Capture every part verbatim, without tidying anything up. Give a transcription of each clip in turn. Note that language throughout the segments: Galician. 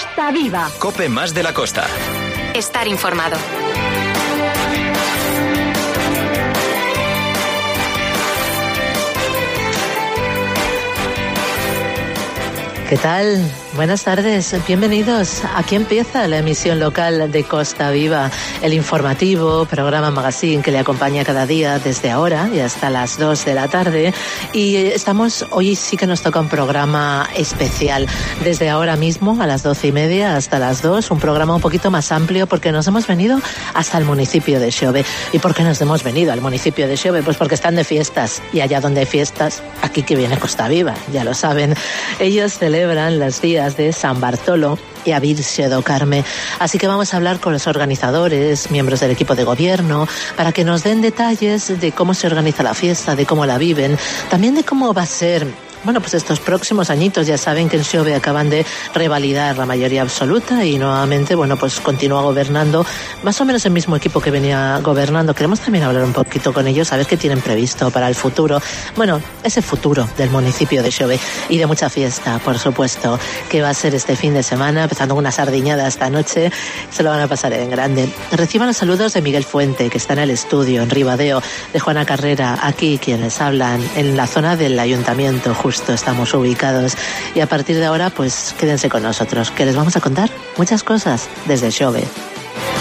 Costa Viva. COPE más de la costa. Estar informado. ¿Qué tal? Buenas tardes, bienvenidos. Aquí empieza la emisión local de Costa Viva, el informativo, programa magazine que le acompaña cada día desde ahora y hasta las dos de la tarde. Y estamos, hoy sí que nos toca un programa especial, desde ahora mismo a las doce y media hasta las dos, un programa un poquito más amplio porque nos hemos venido hasta el municipio de Xove. ¿Y por qué nos hemos venido al municipio de Xove? Pues porque están de fiestas, y allá donde hay fiestas, aquí que viene Costa Viva, ya lo saben. Ellos celebran los días de San Bartolo y a Virxe do Carme. Así que vamos a hablar con los organizadores, miembros del equipo de gobierno, para que nos den detalles de cómo se organiza la fiesta, de cómo la viven, también de cómo va a ser, bueno, pues estos próximos añitos. Ya saben que en Xove acaban de revalidar la mayoría absoluta y nuevamente, bueno, pues continúa gobernando más o menos el mismo equipo que venía gobernando. Queremos también hablar un poquito con ellos, a ver qué tienen previsto para el futuro. Bueno, ese futuro del municipio de Xove y de mucha fiesta, por supuesto, que va a ser este fin de semana, empezando con una sardiñada esta noche. Se lo van a pasar en grande. Reciban los saludos de Miguel Fuente, que está en el estudio, en Ribadeo, de Juana Carrera, aquí quienes hablan, en la zona del ayuntamiento, justo estamos ubicados. Y a partir de ahora, pues quédense con nosotros, que les vamos a contar muchas cosas desde Xove.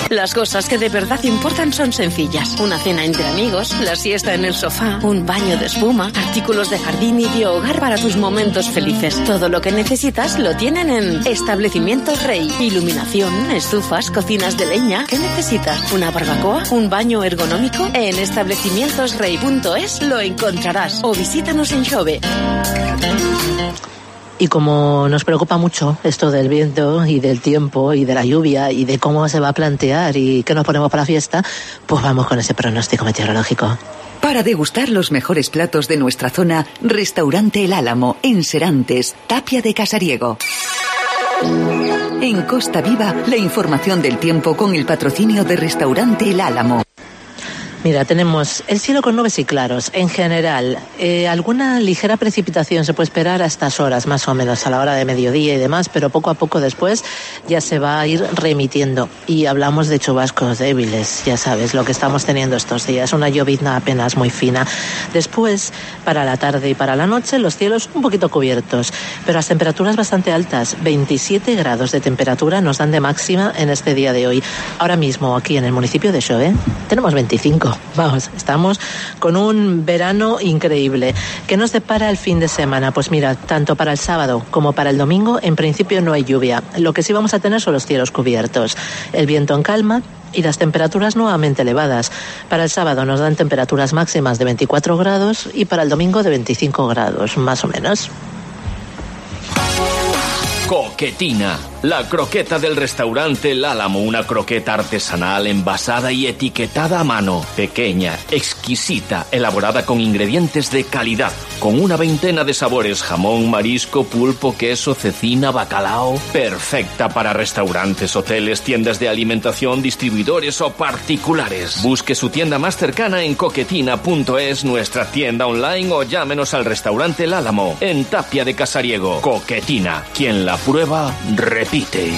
Las cosas que de verdad importan son sencillas. Una cena entre amigos, la siesta en el sofá, un baño de espuma, artículos de jardín y de hogar para tus momentos felices. Todo lo que necesitas lo tienen en Establecimientos Rey. Iluminación, estufas, cocinas de leña. ¿Qué necesitas? ¿Una barbacoa? ¿Un baño ergonómico? En establecimientos rey punto es lo encontrarás. O visítanos en Xove. Y como nos preocupa mucho esto del viento y del tiempo y de la lluvia y de cómo se va a plantear y qué nos ponemos para la fiesta, pues vamos con ese pronóstico meteorológico. Para degustar los mejores platos de nuestra zona, Restaurante El Álamo, en Serantes, Tapia de Casariego. En Costa Viva, la información del tiempo con el patrocinio de Restaurante El Álamo. Mira, tenemos el cielo con nubes y claros. En general, eh, alguna ligera precipitación se puede esperar a estas horas, más o menos, a la hora de mediodía y demás, pero poco a poco después ya se va a ir remitiendo. Y hablamos de chubascos débiles, ya sabes, lo que estamos teniendo estos días, una llovizna apenas muy fina. Después, para la tarde y para la noche, los cielos un poquito cubiertos, pero las temperaturas bastante altas, veintisiete grados de temperatura nos dan de máxima en este día de hoy. Ahora mismo, aquí en el municipio de Xove, tenemos veinticinco. Vamos, estamos con un verano increíble. ¿Qué nos depara el fin de semana? Pues mira, tanto para el sábado como para el domingo, en principio no hay lluvia. Lo que sí vamos a tener son los cielos cubiertos, el viento en calma y las temperaturas nuevamente elevadas. Para el sábado nos dan temperaturas máximas de veinticuatro grados y para el domingo de veinticinco grados, más o menos. Coquetina, la croqueta del restaurante El Álamo, una croqueta artesanal envasada y etiquetada a mano, pequeña, exquisita, elaborada con ingredientes de calidad, con una veintena de sabores, jamón, marisco, pulpo, queso, cecina, bacalao, perfecta para restaurantes, hoteles, tiendas de alimentación, distribuidores o particulares. Busque su tienda más cercana en coquetina punto es, nuestra tienda online, o llámenos al restaurante El Álamo, en Tapia de Casariego. Coquetina, quien la prueba, repite.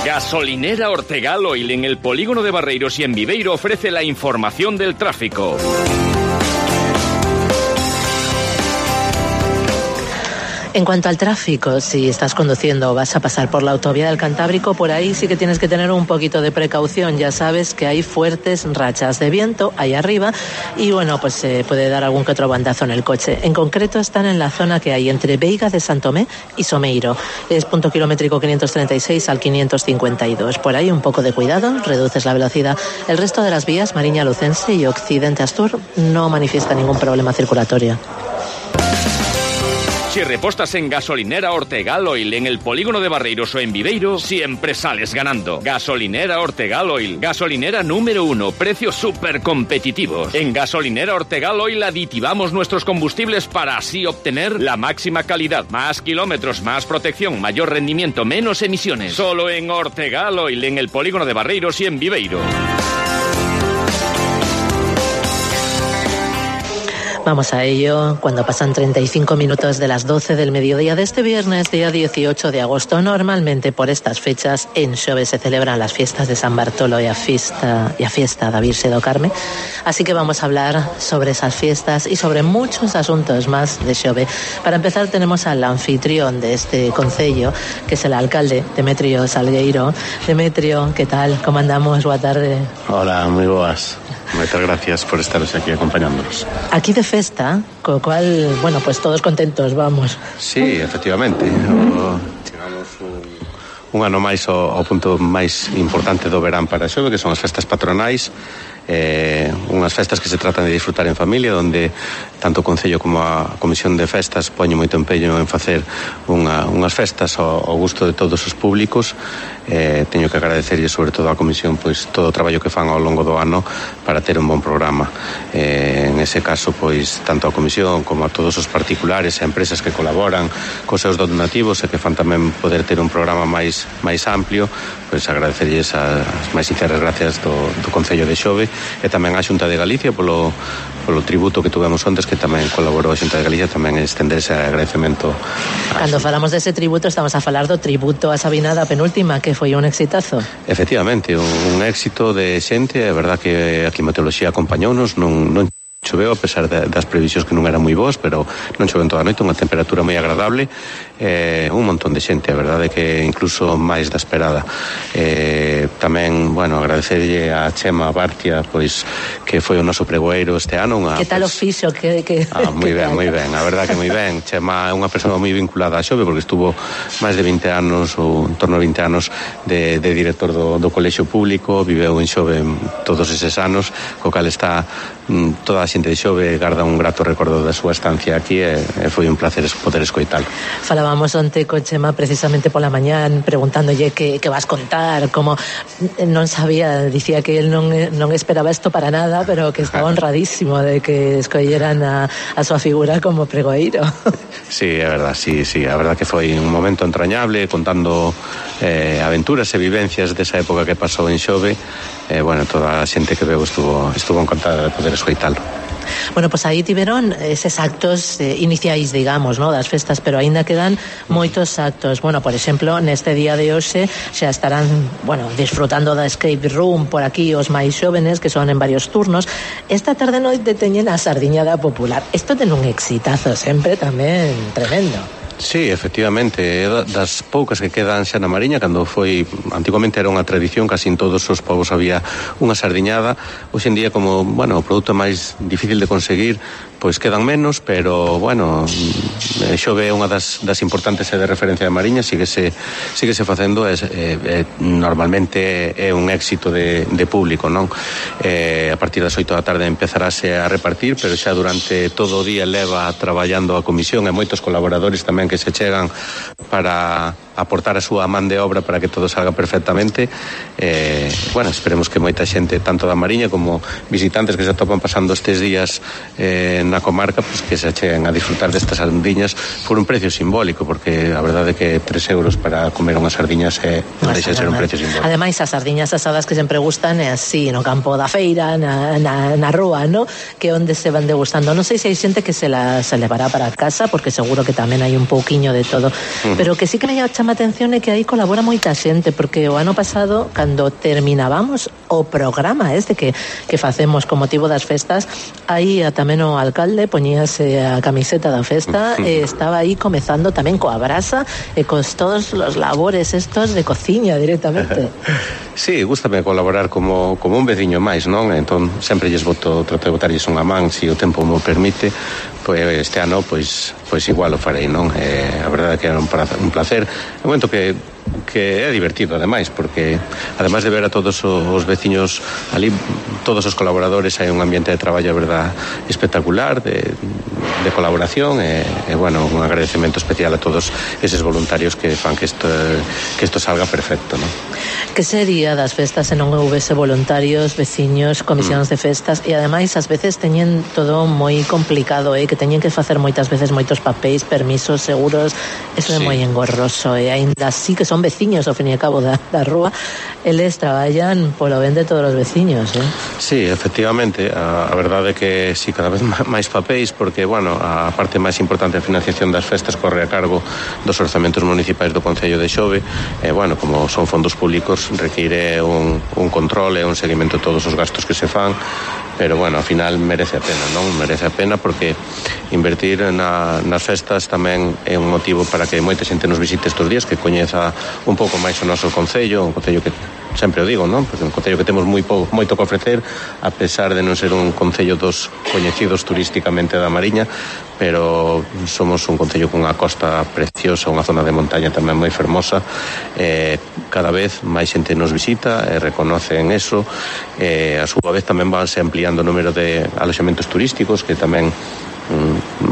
Gasolinera Ortegal Oil en el polígono de Barreiros y en Viveiro ofrece la información del tráfico. En cuanto al tráfico, si estás conduciendo o vas a pasar por la autovía del Cantábrico, por ahí sí que tienes que tener un poquito de precaución. Ya sabes que hay fuertes rachas de viento ahí arriba y bueno, pues se eh, puede dar algún que otro bandazo en el coche. En concreto están en la zona que hay entre Veiga de Santomé y Someiro. Es punto kilométrico quinientos treinta y seis al quinientos cincuenta y dos. Por ahí un poco de cuidado, reduces la velocidad. El resto de las vías, Mariña Lucense y Occidente Astur, no manifiesta ningún problema circulatorio. Si repostas en Gasolinera Ortegal Oil en el polígono de Barreiros o en Viveiro, siempre sales ganando. Gasolinera Ortegal Oil, gasolinera número uno, precios súper competitivos. En Gasolinera Ortegal Oil aditivamos nuestros combustibles para así obtener la máxima calidad, más kilómetros, más protección, mayor rendimiento, menos emisiones. Solo en Ortegal Oil en el polígono de Barreiros y en Viveiro. Vamos a ello cuando pasan treinta y cinco minutos de las doce del mediodía de este viernes, día dieciocho de agosto. Normalmente por estas fechas en Xove se celebran las fiestas de San Bartolo y a fiesta, y a fiesta da Virxe do Carme. Así que vamos a hablar sobre esas fiestas y sobre muchos asuntos más de Xove. Para empezar tenemos al anfitrión de este concello, que es el alcalde, Demetrio Salgueiro. Demetrio, ¿qué tal? ¿Cómo andamos? Boa tarde. Hola, moi boas. Moitas gracias por estaros aquí acompañándonos. Aquí de festa, co cual, bueno, pues todos contentos, vamos. Sí, efectivamente. O, chegamos un, un ano máis ao, ao punto máis importante do verán para Xove, que son as festas patronais. Eh, unhas festas que se tratan de disfrutar en familia, onde tanto o Concello como a Comisión de Festas poñen moito empeño en facer unha, unhas festas ao, ao gusto de todos os públicos. Eh, teño que agradecerlle sobre todo á Comisión pois todo o traballo que fan ao longo do ano para ter un bon programa. Eh, en ese caso, pois tanto a Comisión como a todos os particulares e empresas que colaboran cos seus donativos e que fan tamén poder ter un programa máis máis amplio, pois agradecerlles as máis sinceras gracias do, do Concello de Xove e tamén á Xunta de Galicia polo, polo tributo que tuvemos ontes, que tamén colaborou a Xunta de Galicia, tamén estenderse agradecemento. Cando falamos dese tributo estamos a falar do tributo a Sabina da penúltima, que foi un exitazo. Efectivamente, un, un éxito de xente. É verdad que a climatoloxía acompañounos, non, non choveu a pesar de, das previsións que non eran moi boas, pero non choveu toda a noite, unha temperatura moi agradable, eh, un montón de xente, a verdade que incluso máis da esperada. Eh, tamén, bueno, agradecerlle a Chema Bartia, pois que foi o noso pregoeiro este ano. Unha, que tal pues, o fixo? Que, que, ah, moi ben, moi ben, a verdade que moi ben. Chema é unha persoa moi vinculada a Xove porque estuvo máis de vinte anos, ou en torno a vinte anos de, de director do, do colexio público, viveu en Xove todos eses anos, co cal está mm, toda a xente de Xove garda un grato recordo da súa estancia aquí e, e foi un placer poder escoitalo. Falábamos onte co Chema precisamente pola mañán preguntándolle que, que vas contar, como non sabía, dicía que él non, non esperaba isto para nada, pero que estaba honradísimo de que escolleran a, a súa figura como pregoeiro. Sí, é verdad, sí, sí, a verdad que foi un momento entrañable contando eh, aventuras e vivencias desa época que pasou en Xove. Eh, bueno, toda a xente que veo estuvo, estuvo encantada de poder escoitalo. Bueno, pues aí tiveron eses actos eh, iniciais, digamos, ¿no?, das festas, pero aínda quedan moitos actos. Bueno, por exemplo, neste día de hoxe xa estarán, bueno, disfrutando da escape room por aquí os máis xóvenes, que son en varios turnos. Esta tarde noite teñen a sardiñada popular. Isto ten un exitazo sempre tamén tremendo. Sí, efectivamente, é das poucas que quedan xa na Mariña, cando foi, antiguamente era unha tradición, casi en todos os povos había unha sardiñada. Hoxe en día, como, bueno, o produto máis difícil de conseguir, pois quedan menos, pero, bueno, Xove é unha das, das importantes e de referencia de Mariña, síguese, síguese facendo, e, e, normalmente é un éxito de, de público, non? E, a partir das oito da tarde empezarase a repartir, pero xa durante todo o día leva traballando a comisión e moitos colaboradores tamén que se chegan para aportar a súa man de obra para que todo salga perfectamente. Eh, bueno, esperemos que moita xente, tanto da Mariña como visitantes que se atopan pasando estes días eh, na comarca, pues que se cheguen a disfrutar destas sardiñas por un precio simbólico, porque a verdade é que tres euros para comer unhas sardiñas é, non deixa de ser un precio simbólico. Ademais, as sardiñas asadas que sempre gustan é así, no campo da feira, na, na, na rúa, ¿no?, que onde se van degustando. Non sei se hai xente que se la se levará para casa, porque seguro que tamén hai un pouquiño de todo, uh-huh. Pero que sí que me chama a atención é que aí colabora moita xente, porque o ano pasado, cando terminábamos o programa este que, que facemos con motivo das festas, aí tamén o alcalde poñíase a camiseta da festa e estaba aí comezando tamén coa brasa e cos todos os labores estos de cociña directamente. Sí, gústame colaborar como, como un veciño máis, non? Entón, sempre lles boto, trato de botarlles unha man, se si o tempo mo permite, pois este ano, pois, pois igual o farei, non? Eh, a verdade é que era un placer. É un momento que que é divertido, ademais, porque ademais de ver a todos os veciños ali, todos os colaboradores, hai un ambiente de traballo, a verdade, espectacular, de, de colaboración, e, e, bueno, un agradecemento especial a todos eses voluntarios que fan que isto, que isto salga perfecto, non? Que sería das festas se non houvese voluntarios, veciños, comisións mm. de festas, e ademais ás veces teñen todo moi complicado, eh, que teñen que facer moitas veces moitos papéis, permisos, seguros, eso sí. É moi engorroso, e aínda así que son veciños ao fin e ao cabo da, da rúa, eles traballan polo ben de todos os veciños, eh? Sí, efectivamente, a, a verdade é que si sí, cada vez máis papéis, porque, bueno, a parte máis importante da financiación das festas corre a cargo dos orzamentos municipais do Concello de Xove, e, bueno, como son fondos públicos, require un, un control e un seguimento de todos os gastos que se fan, pero, bueno, ao final merece a pena, non? Merece a pena porque invertir na, nas festas tamén é un motivo para que moita xente nos visite estes días, que coñeza un pouco máis o noso Concello, un Concello que sempre o digo, non? Porque un concello que temos moi pouco, moito que ofrecer, a pesar de non ser un concello dos coñecidos turísticamente da Mariña, pero somos un concello cunha costa preciosa, unha zona de montaña tamén moi fermosa, eh, cada vez máis xente nos visita, e eh, reconocen eso, e eh, a súa vez tamén vanse ampliando o número de aloxamentos turísticos, que tamén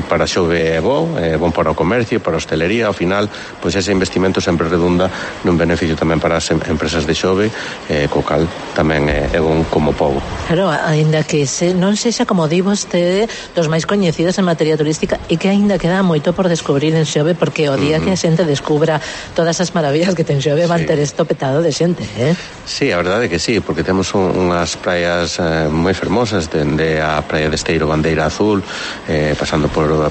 para Xove é bo, é bon para o comercio, para a hostelería. Ao final, pois ese investimento sempre redunda nun beneficio tamén para as empresas de Xove, eh, co cal tamén é, é bon como pobo. Claro, aínda que se, non sexa, como di vostede, dos máis coñecidos en materia turística, e que aínda queda moito por descubrir en Xove, porque o día mm-hmm. que a xente descubra todas as maravillas que ten Xove, sí. Van ter esto petado de xente, eh? Sí, a verdade é que sí, porque temos un, unhas praias eh, moi fermosas, dende a praia de Esteiro, Bandeira Azul, eh, pasando por a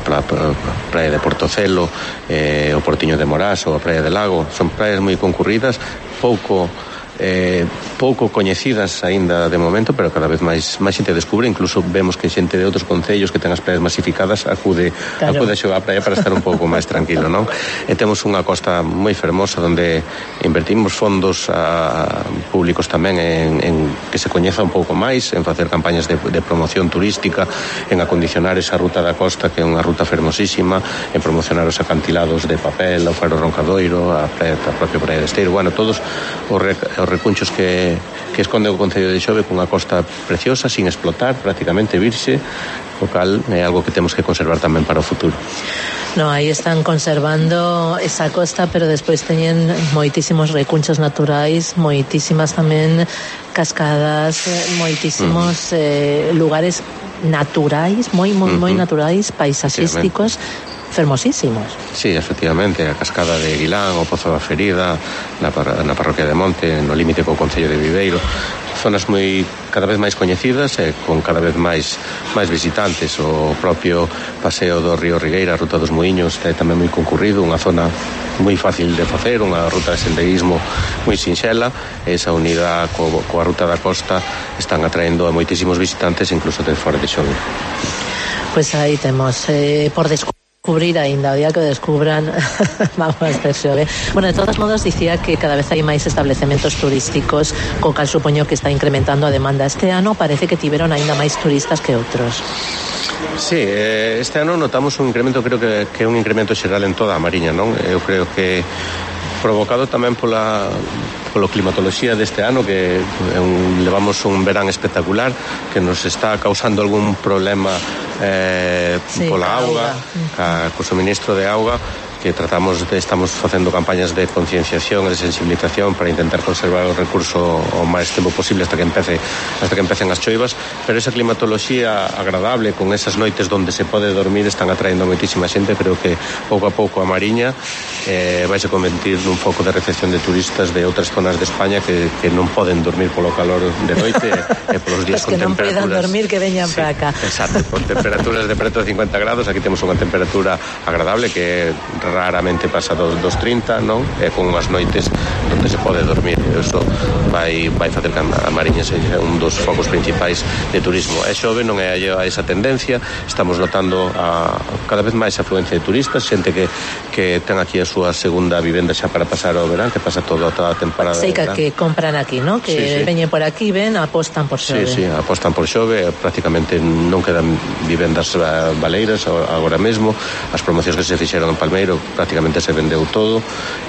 praia de Portocelo, eh, o Portiño de Morás ou a praia de Lago. Son praias moi concurridas, pouco eh, pouco coñecidas aínda de momento, pero cada vez máis máis xente descubre, incluso vemos que xente de outros concellos que ten as praias masificadas acude claro. acude a xogar a praia para estar un pouco máis tranquilo, non? E temos unha costa moi fermosa onde invertimos fondos a, públicos tamén en, en que se coñeza un pouco máis, en facer campañas de, de promoción turística, en acondicionar esa ruta da costa, que é unha ruta fermosísima, en promocionar os acantilados de papel, o Faro Roncadoiro, a, praia, a propia praia de Esteiro, bueno, todos os, rec, os recunchos que, que esconde o Concello de Xove, cunha costa preciosa, sin explotar, prácticamente virxe, o cal é algo que temos que conservar tamén para o futuro. No, aí están conservando esa costa, pero despois teñen moitísimos recunchos naturais, moitísimas tamén cascadas, moitísimos mm. eh, lugares naturais, moi, moi, mm-hmm. moi naturais, paisaxísticos, fermosísimos. Sí, efectivamente, a cascada de Guilán, o Pozo da Ferida, na, par na parroquia de Monte, no límite co Concello de Viveiro, zonas moi cada vez máis coñecidas e con cada vez máis máis visitantes. O propio paseo do Río Rigueira, a Ruta dos Muiños, é tamén moi concurrido, unha zona moi fácil de facer, unha ruta de senderismo moi sinxela. Esa unidade co, coa ruta da costa están atraendo a moitísimos visitantes, incluso de fora de Xove. Pois pues aí temos eh, por descubrir cubrir aínda o día que descubran vamos a ter Xove. Bueno, de todos modos dicía que cada vez hai máis establecementos turísticos, co cal supoño que está incrementando a demanda. Este ano parece que tiveron aínda máis turistas que outros. Sí, este ano notamos un incremento, creo que, que é un incremento xeral en toda a Mariña, non? Eu creo que provocado tamén pola polo climatoloxía deste ano, que é un, levamos un verán espectacular que nos está causando algún problema eh, sí, pola auga, ca, co suministro de auga, que tratamos de, estamos facendo campañas de concienciación e de sensibilización para intentar conservar o recurso o máis tempo posible hasta que empece hasta que empecen as choivas, pero esa climatoloxía agradable con esas noites onde se pode dormir están atraendo moitísima xente. Creo que pouco a pouco a Mariña eh, vai se convertir nun foco de recepción de turistas de outras zonas de España que, que non poden dormir polo calor de noite e polos días pues con temperaturas. Que non poden dormir, que veñan sí, para acá. Exacto, con temperaturas de preto de cincuenta grados. Aquí temos unha temperatura agradable que raramente pasa dos, dos trinta, non? E con unhas noites onde se pode dormir. Eso vai, vai facer que a Mariña seja un dos focos principais de turismo. E Xove non é a esa tendencia. Estamos notando a, cada vez máis afluencia de turistas, xente que, que ten aquí a súa segunda vivenda xa para pasar o verán, que pasa toda, toda a temporada. Sei que, que compran aquí, non? Que sí, sí. Veñen por aquí, ven, apostan por Xove. Sí, sí, apostan por Xove. Prácticamente non quedan vivendas baleiras agora mesmo. As promocións que se fixeron en Palmeiro prácticamente se vendeu todo.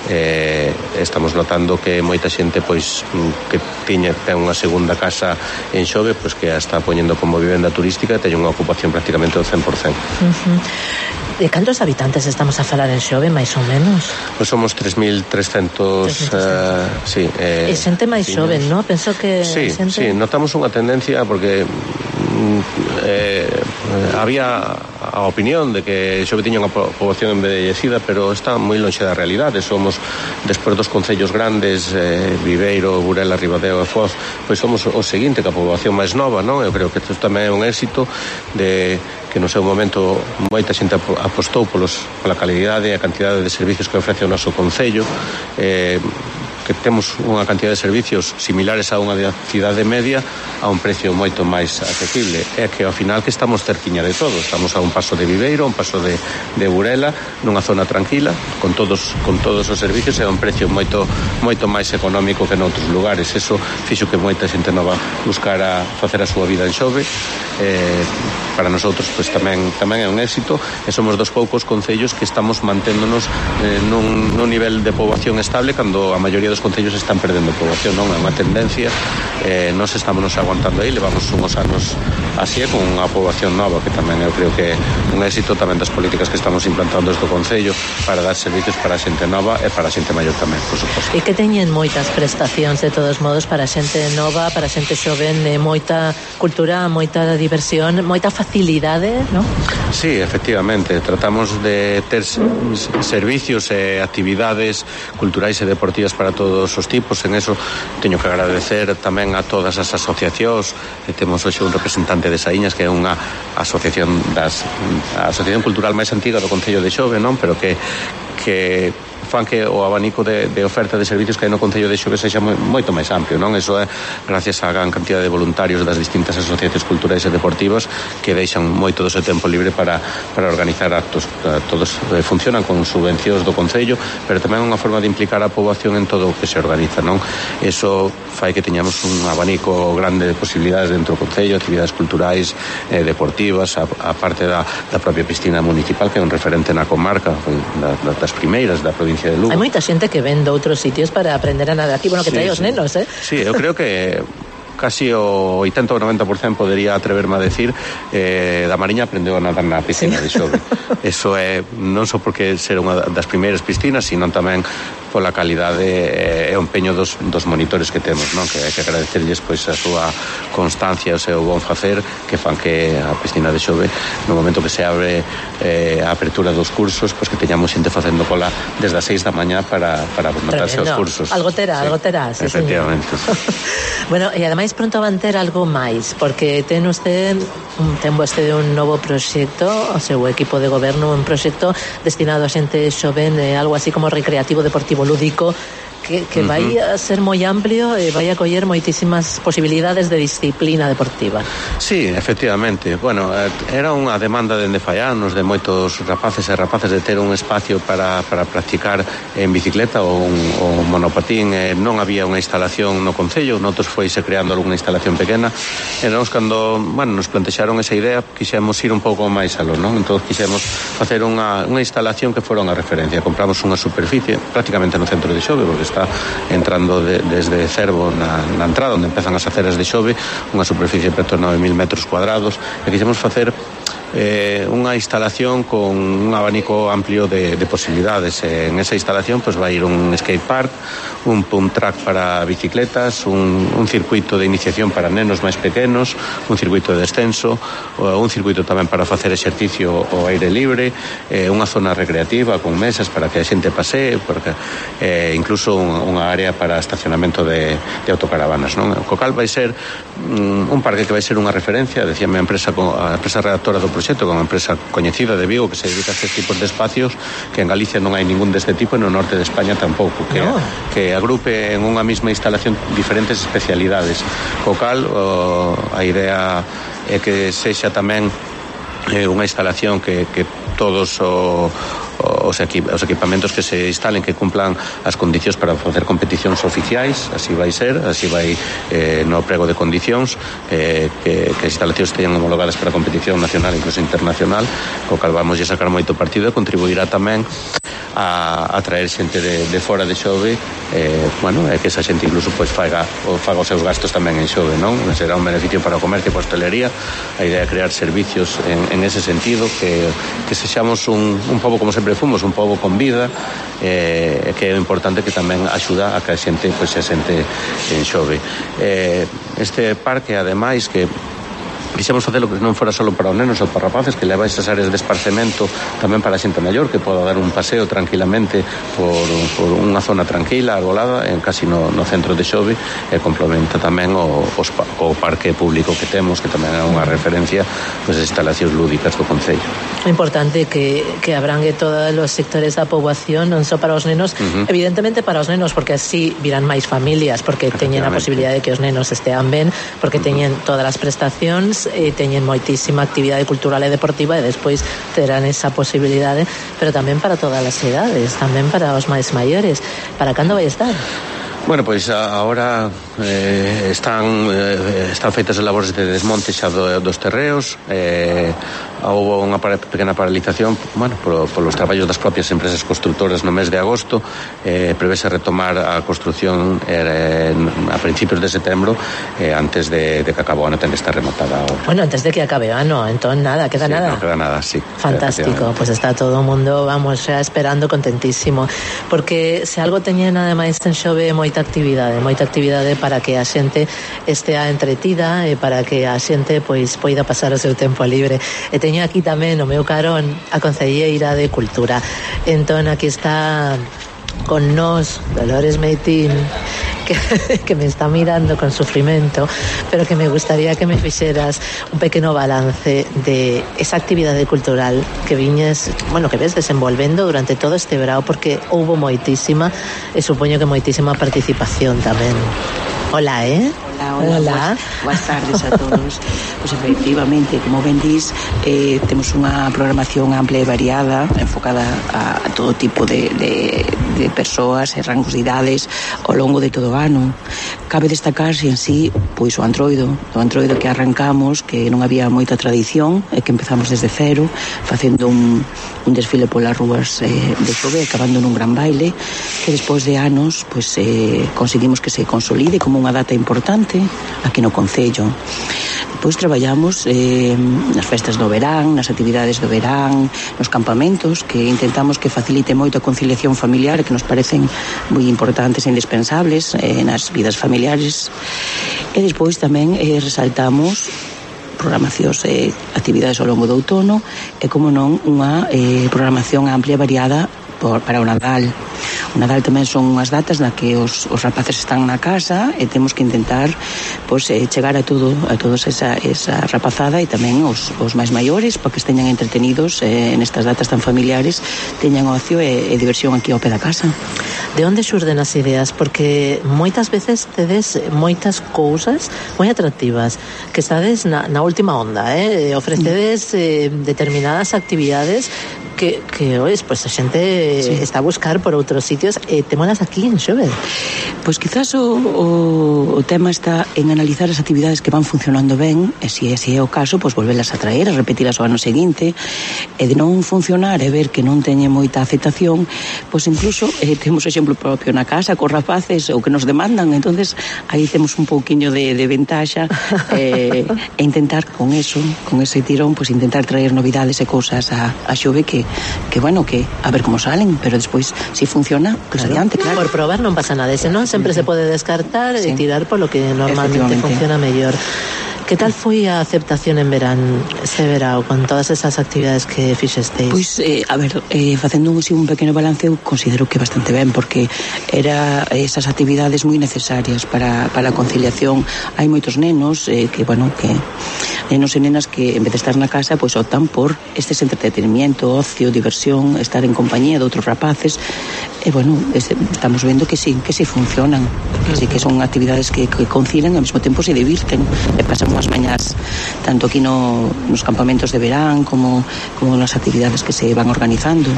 Eh, estamos notando que moita xente pois que tiña ten unha segunda casa en Xove, pois que a está poñendo como vivenda turística e ten unha ocupación prácticamente do cen por cento. Uh-huh. De cantos habitantes estamos a falar en Xove, máis ou menos? Pois somos tres mil trescentos, uh, sí, eh, e xente máis xoven, non? Penso que sí, xente... sí, notamos unha tendencia porque eh, había a opinión de que Xove tiña unha poboación envellecida, pero está moi lonxe da realidade. Somos, despois dos concellos grandes, eh, Viveiro, Burela, Ribadeo e Foz, pois somos o seguinte que a poboación máis nova, non? Eu creo que isto tamén é un éxito de que no seu momento moita xente apostou polos, pola calidade e a cantidade de servicios que ofrece o noso concello, eh, que temos unha cantidad de servicios similares a unha cidade media a un precio moito máis accesible. É que ao final que estamos cerquiña de todo, estamos a un paso de Viveiro, a un paso de, de Burela, nunha zona tranquila, con todos con todos os servicios e a un precio moito moito máis económico que noutros lugares. Eso fixo que moita xente nova buscara facer a súa vida en Xove. Eh, para nosotros pois tamén tamén é un éxito, e somos dos poucos concellos que estamos manténdonos eh, nun, nun nivel de poboación estable cando a maioría dos concellos están perdendo poboación, non é unha tendencia. Eh, nos estamos nos aguantando aí, levamos unhos anos así con unha poboación nova, que tamén eu creo que é un éxito tamén das políticas que estamos implantando desde o concello para dar servicios para a xente nova e para a xente maior tamén, por suposto. E que teñen moitas prestacións de todos modos para a xente nova, para a xente xoven, eh, moita cultura, moita diversión, moita facilidade, non? Sí, efectivamente, tratamos de ter servicios e actividades culturais e deportivas para todos os tipos. En eso teño que agradecer tamén a todas as asociacións. Temos hoxe un representante de Saíñas, que é unha asociación das a asociación cultural máis antiga do Concello de Xove, non? Pero que que fan que o abanico de, de oferta de servicios que hai no Concello de Xove sexa moi, moito máis amplio, non? Eso é gracias á gran cantidad de voluntarios das distintas asociacións culturais e deportivas que deixan moito do seu tempo libre para, para organizar actos. Todos eh, funcionan con subvencións do Concello, pero tamén unha forma de implicar a poboación en todo o que se organiza, non? Eso fai que teñamos un abanico grande de posibilidades dentro do Concello, actividades culturais, eh, deportivas, a, a parte da, da propia piscina municipal, que é un referente na comarca, da, das primeiras da provincia de Lugo. Hai moita xente que ven de outros sitios para aprender a nadar aquí, bueno, que sí, trae os sí. nenos, eh? Sí, eu creo que casi o oitenta ou noventa por cento podería atreverme a decir eh, da Mariña aprendeu a nadar na piscina sí. de Xove. Eso é non só porque ser unha das primeiras piscinas, sino tamén pola calidade e o empeño dos, dos monitores que temos, non? Que hai que agradecerlles pois a súa constancia, o seu bon facer, que fan que a piscina de Xove, no momento que se abre eh, a apertura dos cursos, pois que teñamos xente facendo cola desde as seis da mañá para, para notarse os cursos. Algo terá, sí. algo terá, sí, efectivamente. Bueno, e ademais pronto van ter algo máis, porque ten usted ten vostede un novo proxecto, o seu equipo de goberno, un proxecto destinado a xente xoven, eh, algo así como recreativo, deportivo, lúdico, que, que uh-huh. vai a ser moi amplio e vai a coller moitísimas posibilidades de disciplina deportiva. Sí, efectivamente. Bueno, era unha demanda dende fai anos de moitos rapaces e rapaces de ter un espacio para, para practicar en bicicleta ou un, ou un monopatín. Eh, non había unha instalación no Concello, noutros foise creando algunha instalación pequena, e nós cando, bueno, nos plantexaron esa idea, quixemos ir un pouco máis aló, non? Entón quixemos facer unha, unha instalación que fora unha referencia. Compramos unha superficie prácticamente no centro de Xove, porque está entrando de, desde Cervo na, na entrada onde empezan as aceras de Xove, unha superficie de preto nove mil metros cuadrados, e quixemos facer eh, unha instalación con un abanico amplio de, de posibilidades. Eh, en esa instalación pues, vai ir un skate park, un pump track para bicicletas, un, un circuito de iniciación para nenos máis pequenos, un circuito de descenso, un circuito tamén para facer exercicio ao aire libre, eh, unha zona recreativa con mesas para que a xente pasee, porque, eh, incluso un, unha área para estacionamento de, de autocaravanas, non? O Cocal vai ser un, un parque que vai ser unha referencia, decíame a empresa, a empresa redactora do proxecto, como empresa coñecida de Vigo que se dedica a estes tipos de espacios, que en Galicia non hai ningún deste tipo e no norte de España tampouco, que, no. que agrupe en unha mesma instalación diferentes especialidades. Cocal, o, a idea é que sexa tamén eh, unha instalación que, que todos o, os, equip, os equipamentos que se instalen que cumplan as condicións para facer competicións oficiais, así vai ser, así vai eh, no prego de condicións, eh, que, que as instalacións teñan homologadas para competición nacional e incluso internacional, co cal vamos a sacar moito partido e contribuirá tamén a, a traer xente de, de fora de Xove, eh, bueno, é que esa xente incluso pois faga, faga os seus gastos tamén en Xove, non? Será un beneficio para o comercio e para a hostelería. A idea é crear servicios en, en ese sentido, que, que sexamos un, un pobo como sempre fomos, un pobo con vida, eh, que é importante que tamén axuda a que a xente pois, se sente en Xove. Eh, este parque, ademais, que quixemos facelo que non fora só para os nenos ou para rapaces, que leva esas áreas de esparcemento tamén para a xente maior, que poda dar un paseo tranquilamente por, por unha zona tranquila, arbolada, en casi no, no centro de Xove, e complementa tamén o, os, o parque público que temos, que tamén é unha referencia pois, as instalacións lúdicas do Concello. É importante que, que abrangue todos os sectores da poboación, non só para os nenos, uh-huh. evidentemente para os nenos, porque así virán máis familias, porque teñen a posibilidade de que os nenos estean ben, porque teñen todas as prestacións, e teñen moitísima actividade cultural e deportiva, e despois terán esa posibilidade, pero tamén para todas as edades, tamén para os máis maiores. Para cando vai estar? Bueno, pois agora eh, están eh, están feitas as labores de desmonte xa do, dos terreos. Eh, houve unha pequena paralización, bueno, por, por los traballos das propias empresas constructoras no mes de agosto. Eh, prevese retomar a construción eh, a principios de setembro, eh, antes de, de que acabe o ano ten que estar rematada ahora. Bueno, antes de que acabe o ano, entón nada, queda sí, nada. No queda nada, sí. Fantástico, pues está todo o mundo, vamos, xa esperando contentísimo, porque se algo teñen ademais en Xove moita actividade, moita actividade para que a xente estea entretida e para que a xente pois poida pasar o seu tempo libre. E teño aquí tamén o meu carón a concelleira de Cultura. Entón aquí está con nós Dolores Meitín, que, que me está mirando con sufrimento, pero que me gustaría que me fixeras un pequeno balance de esa actividade cultural que viñes, bueno, que ves desenvolvendo durante todo este verao, porque houbo moitísima e supoño que moitísima participación tamén. Hola, eh? Hola, hola, hola. Boas, boas tardes a todos. Pois efectivamente, como ben dis, eh, temos unha programación ampla e variada, enfocada a, a todo tipo de, de, de persoas e rangos de idades ao longo de todo o ano. Cabe destacarse en sí, pois o Antroido, o Antroido que arrancamos, que non había moita tradición, e que empezamos desde cero, facendo un, un desfile polas rúas eh, de Xove, acabando nun gran baile, que despois de anos, pois eh, conseguimos que se consolide como unha data importante aquí no Concello. Depois traballamos eh, nas festas do verán, nas actividades do verán, nos campamentos, que intentamos que facilite moito a conciliación familiar, que nos parecen moi importantes e indispensables eh, nas vidas familiares. E despois tamén eh, resaltamos programacións e eh, actividades ao longo do outono e, como non, unha eh, programación amplia e variada por, para o Nadal. O Nadal tamén son unhas datas na que os, os rapaces están na casa e temos que intentar pois, eh, chegar a todo a todos esa, esa rapazada e tamén os, os máis maiores, para que esteñan entretenidos eh, nestas datas tan familiares, teñan ocio e, e diversión aquí ao pé da casa. De onde xurden as ideas? Porque moitas veces tedes moitas cousas moi atractivas, que estades na, na última onda, eh? Ofrecedes eh, determinadas actividades que, que ois, pues, a xente sí. está a buscar por outros sitios e temolas aquí en Xove. Pois quizás o, o, o tema está en analizar as actividades que van funcionando ben, e se ese é o caso, pois volvelas a traer, a repetilas o ano seguinte, e de non funcionar e ver que non teñe moita aceptación, pois incluso eh, temos exemplo propio na casa cos rapaces o que nos demandan, entonces aí temos un pouquiño de, de ventaxa eh, e intentar con eso, con ese tirón, pois intentar traer novidades e cousas a, a Xove que, que bueno, que a ver como salen, pero despois si funciona, pois claro, adiante, claro. Por probar non pasa nada, ese non sempre se pode descartar sí. e tirar polo que normalmente funciona mellor. Que tal foi a aceptación en verán, este verao, con todas esas actividades que fixesteis? Pois, eh, a ver, eh, facendo un, un pequeno balance, eu considero que bastante ben, porque era esas actividades moi necesarias para, para a conciliación. Hai moitos nenos eh, que, bueno, que nenos e nenas que en vez de estar na casa, pois optan por estes entretenimiento, ocio, diversión, estar en compañía de outros rapaces, e, bueno, este, estamos vendo que sí, que sí funcionan, que sí que son actividades que, que concilian e ao mesmo tempo se divirten, e pasan as mañás tanto aquí no, nos campamentos de verán como, como nas actividades que se van organizando.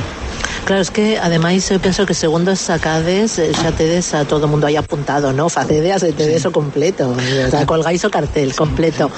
Claro, es que ademais eu penso que segundo sacades xa tedes a todo o mundo aí apuntado, ¿no? Facedeas e tedes o completo, o sea, colgáis o cartel completo.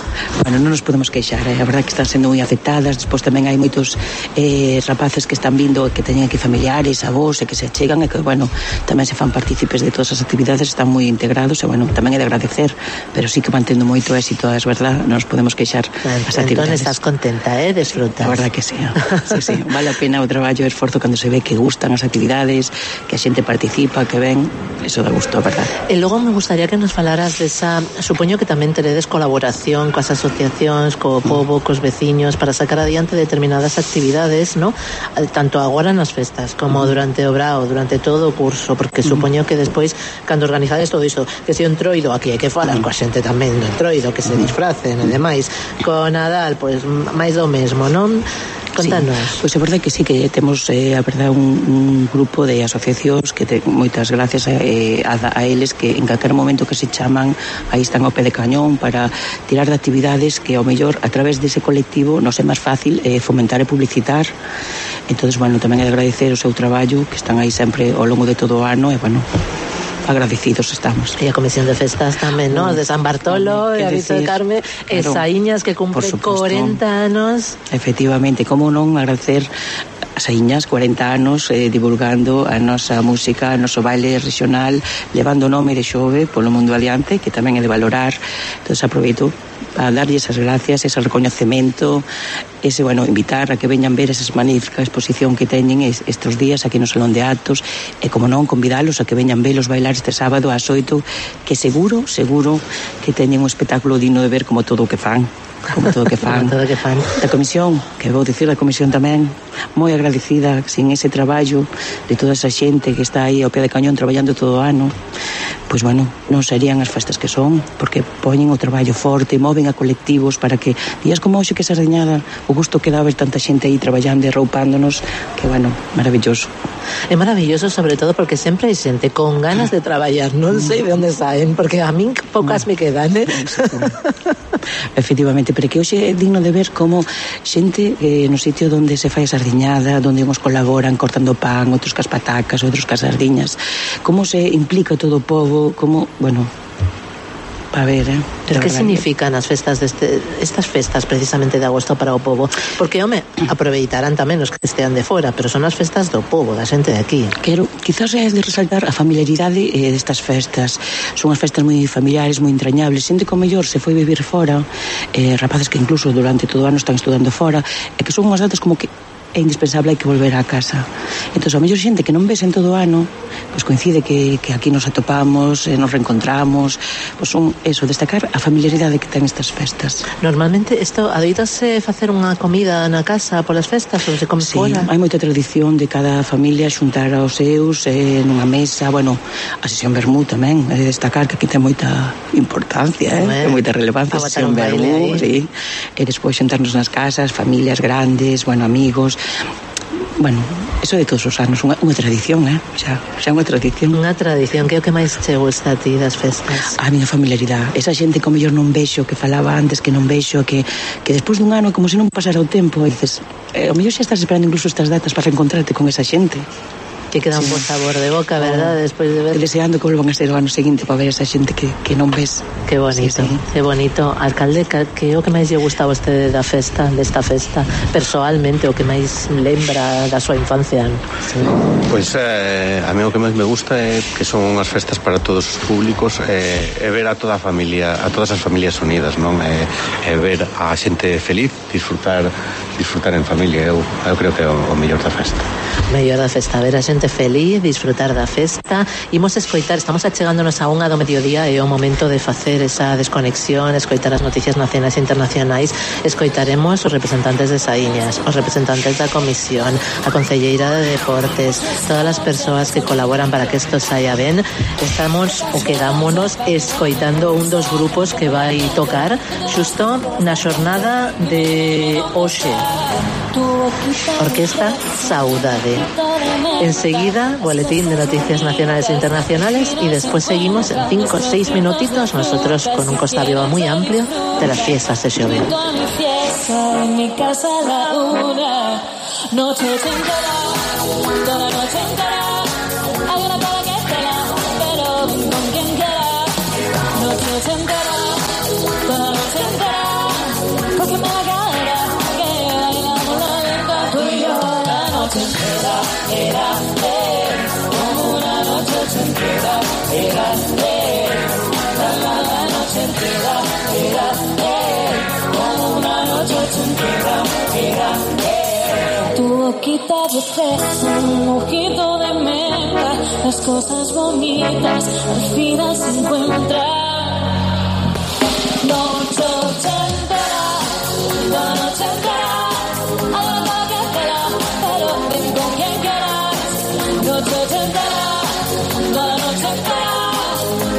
Bueno, non nos podemos queixar, eh? A verdade que están sendo moi aceptadas. Despois tamén hai moitos eh, rapaces que están vindo, que teñen aquí familiares, avós, e que se achegan e que, bueno, tamén se fan partícipes de todas as actividades, están moi integrados e, bueno, tamén é de agradecer, pero sí que mantendo moito éxito, é verdade, non nos podemos queixar as actividades. Entón estás contenta, eh? Desfrutas. A verdade que sí, sí, sí, vale a pena o traballo e o esforzo cando se ve que gustan as actividades, que a xente participa, que ven, eso dá gusto, a verdade. E logo me gustaría que nos falaras desa, supoño que tamén teredes colaboración coas asociacións, co pobo, cos veciños, para sacar adiante determinadas actividades, ¿no? Tanto agora nas festas, como durante o brao, durante todo o curso, porque supoño que despois, cando organizades todo iso, que se o entroido, aquí hai que falar coa xente tamén do entroido, que se disfracen e demais, co Nadal, pois, máis do mesmo, non? Contanos. Sí, pois é verdade que sí, que temos eh, a verdade un, un grupo de asociacións que te, moitas gracias a, eh, a, a eles que en calquer momento que se chaman aí están ao pé de cañón para tirar de actividades que ao mellor a través dese colectivo nos é máis fácil eh, fomentar e publicitar. Entonces, bueno, tamén é de agradecer o seu traballo, que están aí sempre ao longo de todo o ano e, bueno, agradecidos estamos. E a Comisión de Festas tamén, ¿no? De San Bartolo, e a Vito de Carme, e claro, Saíñas, que cumpre corenta anos. Efectivamente, como non agradecer a Saíñas, corenta anos, eh, divulgando a nosa música, o noso baile regional, levando o nome de Xove polo mundo adiante, que tamén é de valorar. Entón, aproveito a darlle esas gracias, ese reconhecemento, ese, bueno, invitar a que veñan ver esa magnífica exposición que teñen estes días aquí no Salón de Actos, e, como non, convidalos a que veñan velos bailar este sábado ás oito, que seguro, seguro que teñen un espectáculo digno de ver, como todo o que fan. Como todo o que fan. todo que fan. Da comisión, que vou dicir da comisión tamén, moi agradecida, sin ese traballo de toda esa xente que está aí ao pé de cañón traballando todo o ano, pois, bueno, non serían as festas que son, porque poñen o traballo forte, moven a colectivos para que días como hoxe, que Sardeñada, o gusto que dá ver tanta xente aí traballando e roupándonos, que, bueno, maravilloso. É maravilloso, sobre todo porque sempre hai xente con ganas de traballar, non sei de onde saen, porque a min poucas me quedan, eh? Efectivamente, pero que hoxe é digno de ver como xente eh, no sitio onde se fai a sardiñada, onde uns colaboran cortando pan, outros cas patacas, outros cas sardiñas, como se implica todo o povo, como, bueno, a ver, eh? Que significan as festas deste, estas festas precisamente de agosto para o povo? Porque, home, aproveitarán tamén os que estean de fora, pero son as festas do povo, da xente de aquí. Quero, quizás é de resaltar a familiaridade eh, destas festas. Son as festas moi familiares, moi entrañables. Xente que, ao mellor, se foi vivir fora, eh, rapaces que incluso durante todo o ano están estudando fora, e que son unhas datas como que é indispensable, hai que volver á casa. Entón, a mellor xente que non ves en todo o ano, pois coincide que, que aquí nos atopamos, eh, nos reencontramos, pois son, eso, destacar a familiaridade que ten estas festas. Normalmente, isto, adoitase facer unha comida na casa polas festas, ou se come sí, fora? Hai moita tradición de cada familia xuntar aos seus eh, nunha mesa, bueno, a sesión vermú tamén, é de destacar que aquí ten moita importancia, eh, ten moita relevancia a sesión vermú, sí. E despois xuntarnos nas casas, familias grandes, bueno, amigos. Bueno, eso de todos os anos, unha, unha tradición, eh? Xa, xa unha tradición. Unha tradición, que é o que máis che gusta a ti das festas? A miña familiaridade. Esa xente que mellor non vexo, que falaba antes que non vexo, que, que despois dun ano, como se non pasara o tempo, e dices, eh, o mellor xa estás esperando incluso estas datas para reencontrarte con esa xente. Que queda un sí. bo sabor de boca, verdad, oh, despois de ver. Deseando que volvan a ser o ano seguinte para ver esa xente que, que non ves. Que bonito, sí, sí. Que bonito. Alcalde, que é o que máis lle gusta a vostede da festa, desta festa, persoalmente, o que máis lembra da súa infancia? Sí. Pois eh, a mí o que máis me gusta é que son unhas festas para todos os públicos, e eh, ver a toda a familia, a todas as familias unidas, non? E eh, eh, ver a xente feliz, disfrutar disfrutar en familia, eu, eu creo que é o, o mellor da festa. Mellor da festa, ver a xente feliz, disfrutar da festa. Imos escoitar, estamos achegándonos a unha do mediodía, e é o momento de facer esa desconexión, escoitar as noticias nacionais e internacionais. Escoitaremos os representantes de Saíñas, os representantes da Comisión, a Concelleira de Deportes, todas as persoas que colaboran para que isto saia ben. Estamos, ou quedámonos, escoitando un dos grupos que vai tocar xusto na xornada de hoxe. Orquesta Saudade. Enseguida, boletín de noticias nacionales e internacionales, y después seguimos en cinco o seis minutitos nosotros con un Costa Viva muy amplio de las fiestas de Xove. En mi casa la una noche sin toda la noche entera. Hay una cola que espera, pero ven con quien quiera. Noche entera, toda la noche entera. Cógeme la cadera, que bailamos la lenta. Tú y yo la noche entera, era, eh, como una noche entera, era, eh, la, la, la noche entera, era, eh, como una noche entera, era, eh. Tu boquita de fresa, un ojito de menta, las cosas bonitas al final se encuentran. Noche entera, la noche entera, hay una cosa que espera, pero ven con quien quieras. Noche entera, toda la noche entera,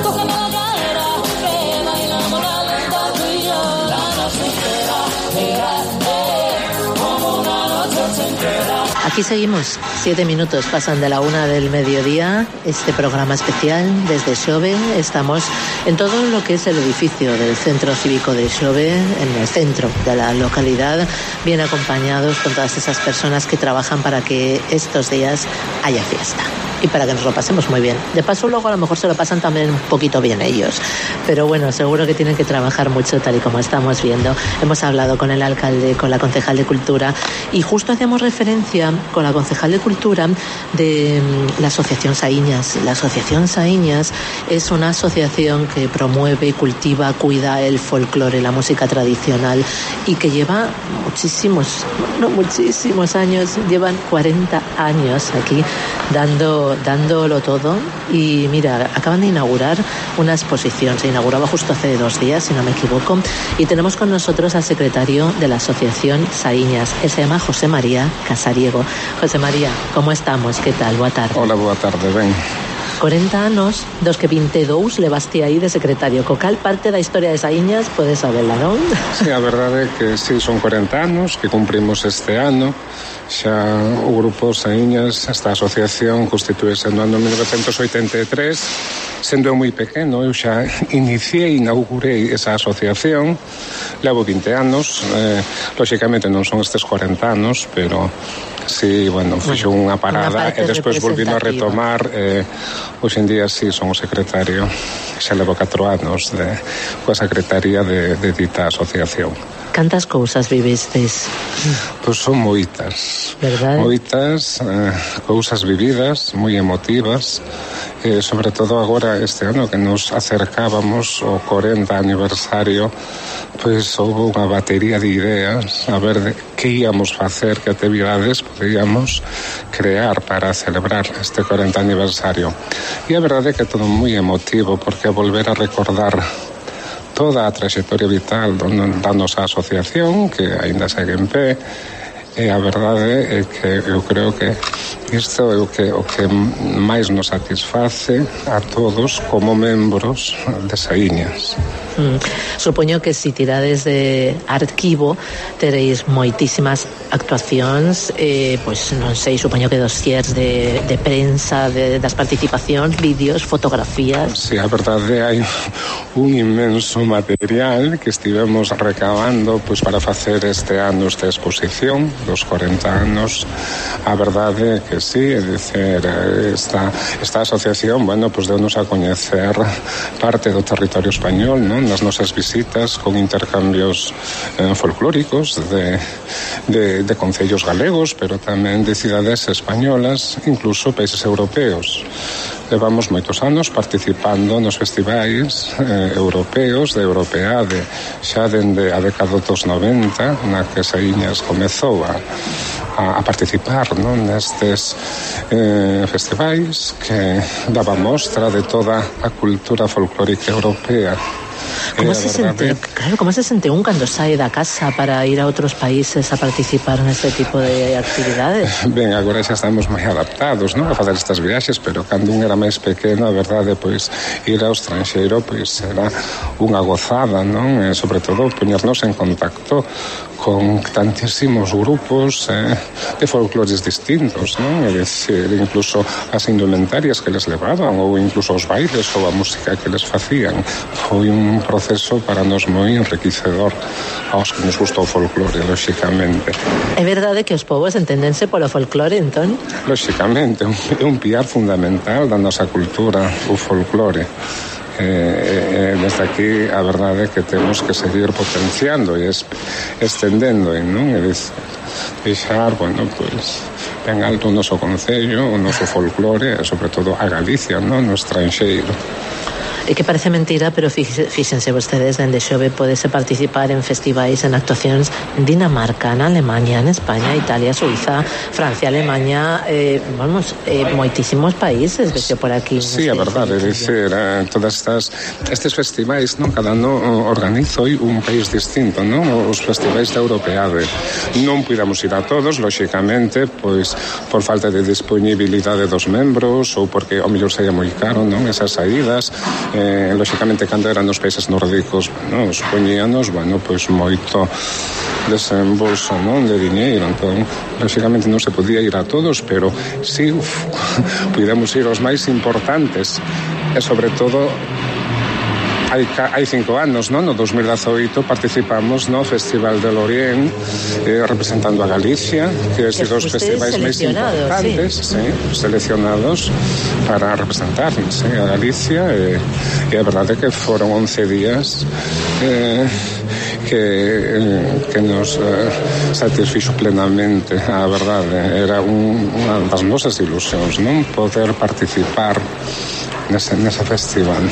cógeme la cadera, que bailamos la lenta, tú y yo, la noche entera, era, eh, como una noche entera. Aquí seguimos, siete minutos pasan de la una del mediodía, este programa especial desde Xove. Estamos en todo lo que es el edificio del Centro Cívico de Xove, en el centro de la localidad, bien acompañados con todas esas personas que trabajan para que estos días haya fiesta y para que nos lo pasemos muy bien. De paso, luego a lo mejor se lo pasan también un poquito bien ellos, pero bueno, seguro que tienen que trabajar mucho, tal y como estamos viendo. Hemos hablado con el alcalde, con la concejal de Cultura, y justo hacíamos referencia con la concejal de Cultura de la Asociación Saíñas. La Asociación Saíñas es una asociación que promueve, cultiva, cuida el folclore, la música tradicional, y que lleva muchísimos, no muchísimos años, llevan cuarenta años aquí dando dándolo todo. Y mira, acaban de inaugurar una exposición, se inauguraba justo hace dos días, si no me equivoco, y tenemos con nosotros al secretario de la Asociación Saíñas. Él se llama José María Casariego. José María, ¿cómo estamos? ¿Qué tal? Boa tarde. Hola, boa tarde, ben. cuarenta anos dos que vinte e dous levaste aí de secretario. Co cal parte da historia de Saíñas podes saberla, non? Sí, a verdade é que sí, son cuarenta anos que cumprimos este ano. Xa o grupo Saíñas, esta asociación, constituíse no ano mil novecentos oitenta e tres. Sendo eu moi pequeno, eu xa iniciei, inaugurei esa asociación. Levo vinte anos, eh, lóxicamente non son estes cuarenta anos, pero sí, bueno, fixo unha parada e despois volvino a retomar. Eh, hoxe en día sí, son o secretario, xa levo catro anos de, coa secretaría de, de dita asociación. Cantas cousas vivistes? Pois son moitas. Verdade? Moitas, eh, cousas vividas, moi emotivas, eh, sobre todo agora este ano que nos acercábamos ao cuarenta aniversario, pois houve unha batería de ideas a ver de que íamos facer, que actividades podíamos crear para celebrar este cuarenta aniversario. E a verdade é que é todo moi emotivo, porque a volver a recordar toda a trayectoria vital da nosa asociación, que aínda segue en pé, e a verdade é que eu creo que isto é o que, o que máis nos satisface a todos como membros de Saíñas. Mm. Supoño que si tirades de arquivo teréis moitísimas actuacións, eh, pois non sei, supoño que dossiers de, de prensa, de, das participacións, vídeos, fotografías. Sí, a verdade hai un inmenso material que estivemos recabando pois para facer este ano esta exposición dos cuarenta anos. A verdade é que sí, é dicer, esta, esta asociación, bueno, pois deu-nos a coñecer parte do territorio español, non? Nas nosas visitas con intercambios eh, folclóricos de, de, de concellos galegos, pero tamén de cidades españolas, incluso países europeos. Levamos moitos anos participando nos festivais eh, europeos de Europeade, xa dende a década dos noventa, na que Saíñas comezou a, a, a participar, non, nestes eh, festivais que daba mostra de toda a cultura folclórica europea. Como se sente, claro, como se sente un cando sae da casa para ir a outros países a participar neste tipo de actividades? Ben, agora xa estamos moi adaptados, non, a facer estas viaxes, pero cando un era máis pequeno, a verdade, pois, ir ao estranxeiro, pois, era unha gozada, non? E, sobre todo, poñernos en contacto con tantísimos grupos eh, de folclores distintos, non? É dicir, incluso as indumentarias que les levaban, ou incluso os bailes ou a música que les facían. Foi un proceso proceso para nos moi enriquecedor aos que nos gusta o folclore, lóxicamente. É verdade que os povos entendense polo folclore, entón? Lóxicamente, é un piar fundamental da nosa cultura, o folclore. Eh, eh, desde aquí a verdade é que temos que seguir potenciando e es, estendendo, non? E deixar, bueno, pois ben alto o noso concello, o noso folclore e sobre todo a Galicia, non? No estranxeiro. E que parece mentira, pero fíxense vostedes, dende xove podese participar en festivais, en actuacións en Dinamarca, en Alemania, en España, Italia, Suiza, Francia, Alemania, eh, vamos, eh, moitísimos países, vexo por aquí. Sí, a verdade, é dicir, eh, todas estas estes festivais, non, cada ano organizo un país distinto, non? Os festivais da Europeade. Non puidamos ir a todos, lóxicamente, pois por falta de disponibilidade dos membros ou porque ao mellor saía moi caro, non? Esas saídas. Eh, lóxicamente, cando eran nos países nórdicos, no, supoñíanos, bueno, pois moito desembolso, non, de diñeiro. Entón, lóxicamente non se podía ir a todos, pero si sí, puidemos ir aos máis importantes e sobre todo hai, hai cinco anos, non? No dos mil dezaoito participamos no Festival de Lorient, eh, representando a Galicia, que é dos festivais máis importantes, sí. Sí, seleccionados para representarnos, sí, a Galicia, e, e a verdade é que foron once días eh, que, eh, que nos eh, satisfixo plenamente, a verdade. Era un, unha das nosas ilusións, non? Poder participar nese, nese festival.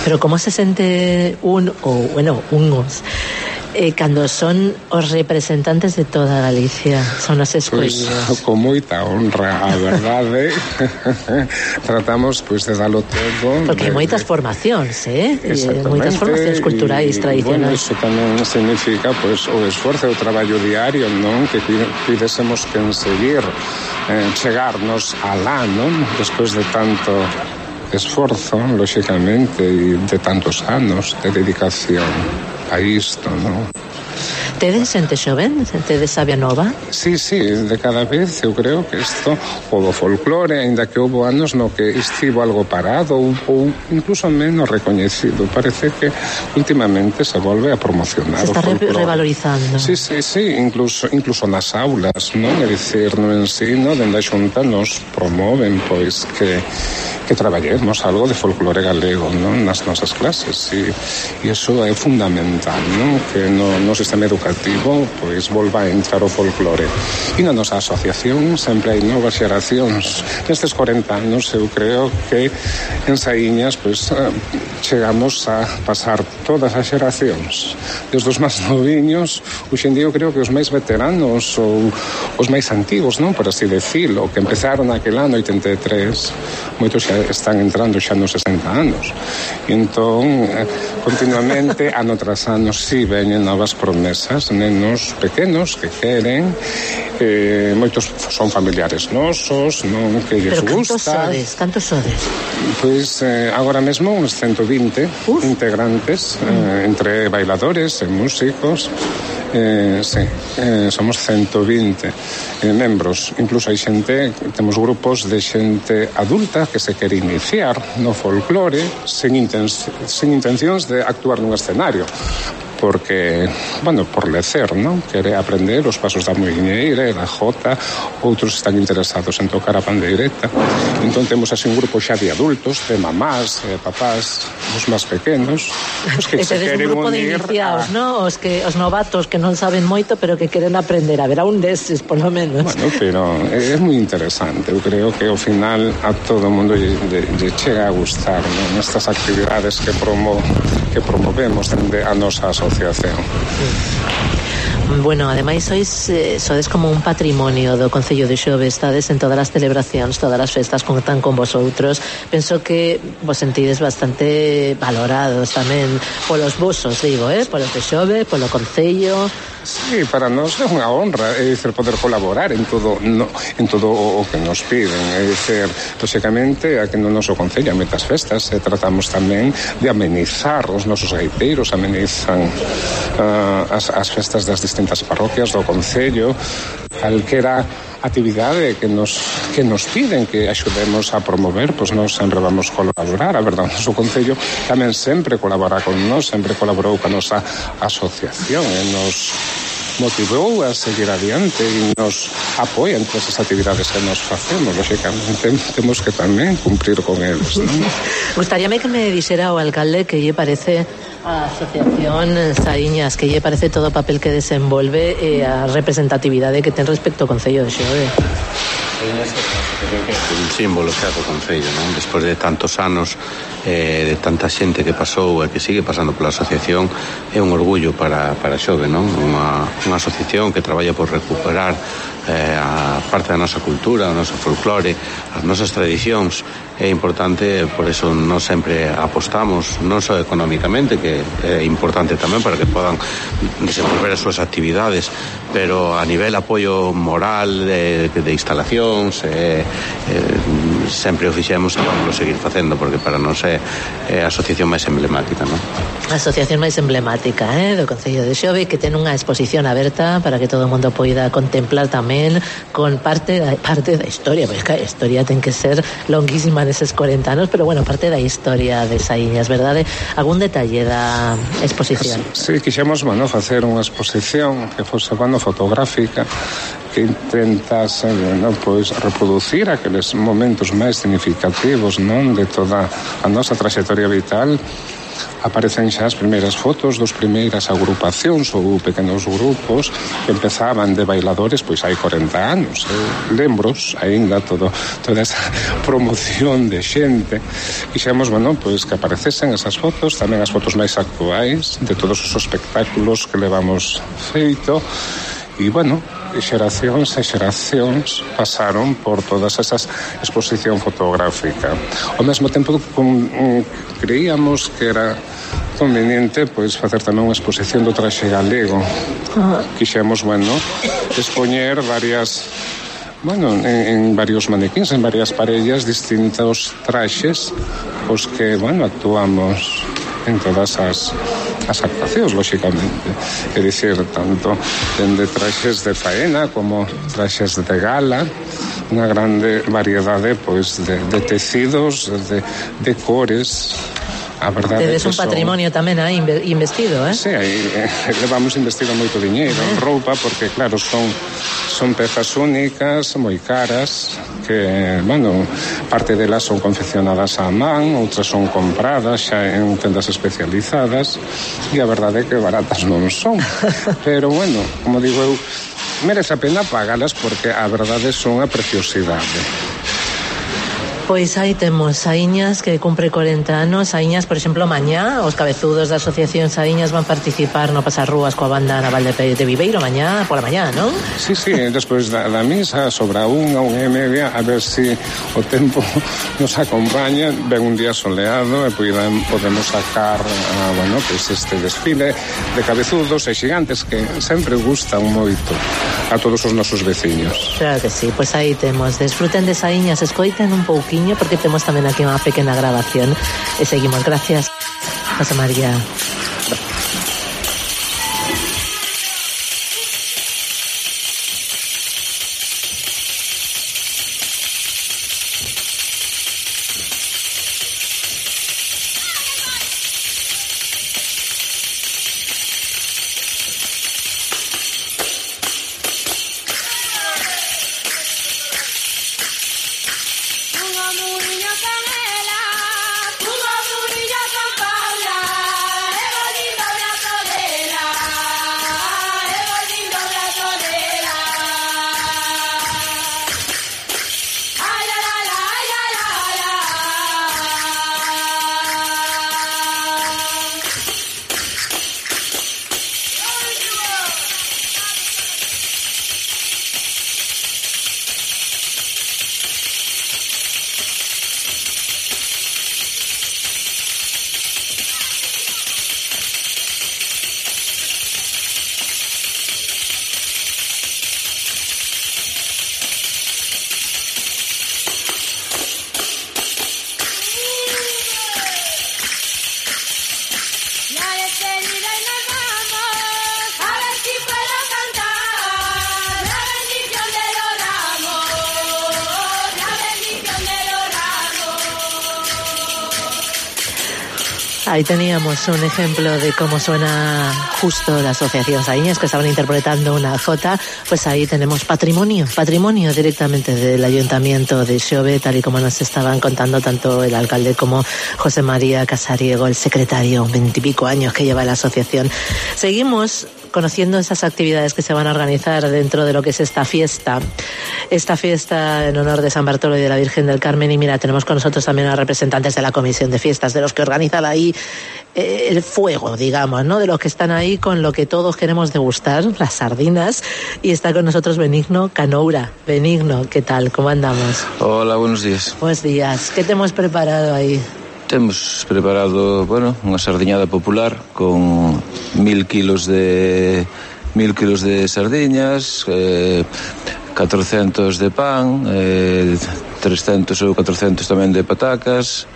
Pero como se sente un, ou, bueno, unos, eh, cando son os representantes de toda Galicia, son os escollidos? Pois, con moita honra, a verdade. Tratamos, pois, de dalo todo. Porque hai moitas formacións, eh? Moitas formacións culturais y, tradicionais. Bueno, iso tamén significa, pois, o esforzo e o traballo diario, non? Que pidésemos que enseguir eh, chegarnos alá, non? Despois de tanto esforzo, lóxicamente, e de tantos anos de dedicación a isto, non? Tedes xente xoven? Tedes sabia nova? Sí, sí, de cada vez eu creo que isto, o do folclore, ainda que houve anos no que estivo algo parado ou, ou incluso menos recoñecido. Parece que últimamente se volve a promocionar se está o folclore. Revalorizando. Sí, sí, sí, incluso, incluso nas aulas, non? É dicir, no ensino, dende a Xunta nos promoven, pois, que que traballemos algo de folclore galego, non? Nas nosas clases, e, e iso é fundamental, non? Que no, no sistema educativo pois volva a entrar o folclore. E na nosa asociación sempre hai novas xeracións. Nestes corenta anos eu creo que en Saíñas pois chegamos a pasar todas as xeracións, desde os máis noviños, hoxe en día eu creo que os máis veteranos ou os máis antigos, non? Por así decirlo, que empezaron aquel ano oitenta e tres, moitos xa están entrando xa nos sesenta anos. E entón, continuamente, ano tras ano, si veñen novas promesas, nenos pequenos que queren, eh, moitos son familiares nosos, non? Que lles gusta. Pero cantos sodes? Cantos sodes? Pois, eh, agora mesmo, uns ciento vinte Uf. integrantes, eh, entre bailadores e músicos. Eh, sí, eh, somos ciento vinte eh, membros. Incluso hai xente, temos grupos de xente adulta que se quere iniciar no folclore sen, inten sen intencións de actuar nun escenario, porque, bueno, por lecer, non? Quere aprender os pasos da moiñeira e da jota, outros están interesados en tocar a pandeireta. Entón temos así un grupo xa de adultos, de mamás, de papás, os máis pequenos, os que se queren un grupo unir de iniciados, a... ¿no? Os que os novatos que non saben moito, pero que queren aprender. Haberá un deses, por lo menos. Bueno, pero é moi interesante. Eu creo que ao final a todo o mundo lle, lle chega a gustar, non? Estas actividades que promo que promovemos dende a nosa asociación. Bueno, ademais sois eh, sodes como un patrimonio do Concello de Xove, estades en todas as celebracións, todas as festas, contan con vosotros. Penso que vos sentides bastante valorados tamén polos vosos, digo, eh, polos de Xove, polo Concello. Sí, para nós é unha honra, é dicir, poder colaborar en todo no, en todo o que nos piden, é dicir, lóxicamente, aquí no noso Concello a metas festas e tratamos tamén de amenizar, os nosos gaiteiros amenizan uh, as, as festas das distintas parroquias do Concello, calquera actividade que nos, que nos piden que axudemos a promover, pois nós sempre vamos colaborar. A verdade, o noso Concello tamén sempre colabora con nós, sempre colaborou con a nosa asociación e nos motivou a seguir adiante e nos apoia en todas as actividades que nos facemos. Lógicamente temos que tamén cumprir con eles, non? Gustaríame que me dixera o alcalde que lle parece a Asociación Saíñas, que lle parece todo o papel que desenvolve e a representatividade que ten respecto ao Concello de Xove. É un símbolo xa do Concello, non? Despois de tantos anos, eh, de tanta xente que pasou e que sigue pasando pola asociación, é un orgullo para, para Xove, non? Unha, unha asociación que traballa por recuperar eh, a parte da nosa cultura, o noso folclore, as nosas tradicións. É importante, por eso non sempre apostamos, non só económicamente, que é importante tamén para que podan desenvolver as súas actividades, pero a nivel apoio moral de, de instalacións, eh, eh, sempre o fixemos e vamos a seguir facendo, porque para nós é, é a asociación máis emblemática, non? A asociación máis emblemática, eh, do Concello de Xove, que ten unha exposición aberta para que todo o mundo poida contemplar tamén con parte da, parte da historia, porque a historia ten que ser longuísima neses corenta anos, pero bueno, parte da historia de Saíñas, verdade? Algún detalle da exposición? Sí, quixemos, bueno, facer unha exposición que fose, bueno, fotográfica, que intentase, bueno, pois reproducir aqueles momentos máis significativos, non, de toda a nosa traxectoria vital. Aparecen xa as primeiras fotos dos primeiras agrupacións ou pequenos grupos que empezaban de bailadores pois hai corenta anos. Eu lembros aínda todo, toda esa promoción de xente. Quixemos, bueno, pois que aparecesen esas fotos, tamén as fotos máis actuais de todos os espectáculos que levamos feito. E, bueno, xeracións e xeracións pasaron por todas esas exposición fotográfica. Ao mesmo tempo, con, um, creíamos que era conveniente pois facer tamén unha exposición do traxe galego. Quixemos, bueno, expoñer varias, bueno, en, en varios manequíns, en varias parellas, distintos traxes os que, bueno, actuamos en todas as, as actuacións, lógicamente. É dicir, tanto dende traxes de faena como traxes de gala, unha grande variedade pois de, de tecidos, de, de cores. A verdade tedes un patrimonio son... tamén aí investido, eh? Sí, aí eh, levamos investido moito diñeiro en roupa, porque claro, son son pezas únicas, moi caras, que, bueno, parte delas son confeccionadas á man, outras son compradas xa en tendas especializadas, e a verdade é que baratas non son. Pero, bueno, como digo eu, merece a pena pagalas porque a verdade son a preciosidade. Pois aí temos Saíñas que cumpre corenta anos. Saíñas, por exemplo, mañá os cabezudos da Asociación Saíñas van participar no Pasar Rúas coa banda naval de, de Viveiro mañá pola mañá, non? Sí, sí, despois da, da misa sobre a unha, unha e media, a ver se si o tempo nos acompaña, ven un día soleado e podemos, podemos sacar a, bueno, pues este desfile de cabezudos e xigantes que sempre gustan moito a todos os nosos veciños. Claro que sí, pois aí temos, desfruten de Saíñas, escoiten un pouquiño porque temos tamén aquí unha pequena grabación e seguimos. Gracias, José María. Una murilla canela, una murilla San Paula. Ahí teníamos un ejemplo de cómo suena justo la Asociación Saíñas, que estaban interpretando una jota. Pues ahí tenemos patrimonio, patrimonio directamente del Ayuntamiento de Xove, tal y como nos estaban contando tanto el alcalde como José María Casariego, el secretario, veintipico años que lleva la asociación. Seguimos conociendo esas actividades que se van a organizar dentro de lo que es esta fiesta, esta fiesta en honor de San Bartolo y de la Virgen del Carmen. Y mira, tenemos con nosotros también a representantes de la Comisión de Fiestas, de los que organizan ahí eh, el fuego, digamos, ¿no? De los que están ahí con lo que todos queremos degustar, las sardinas. Y está con nosotros Benigno Canoura. Benigno, ¿qué tal? ¿Cómo andamos? Hola, buenos días. Buenos días. ¿Qué te hemos preparado ahí? Temos preparado, bueno, unha sardiñada popular con mil kilos de mil kilos de sardiñas, eh, catrocentos de pan, eh, trescentos ou catrocentos tamén de patacas,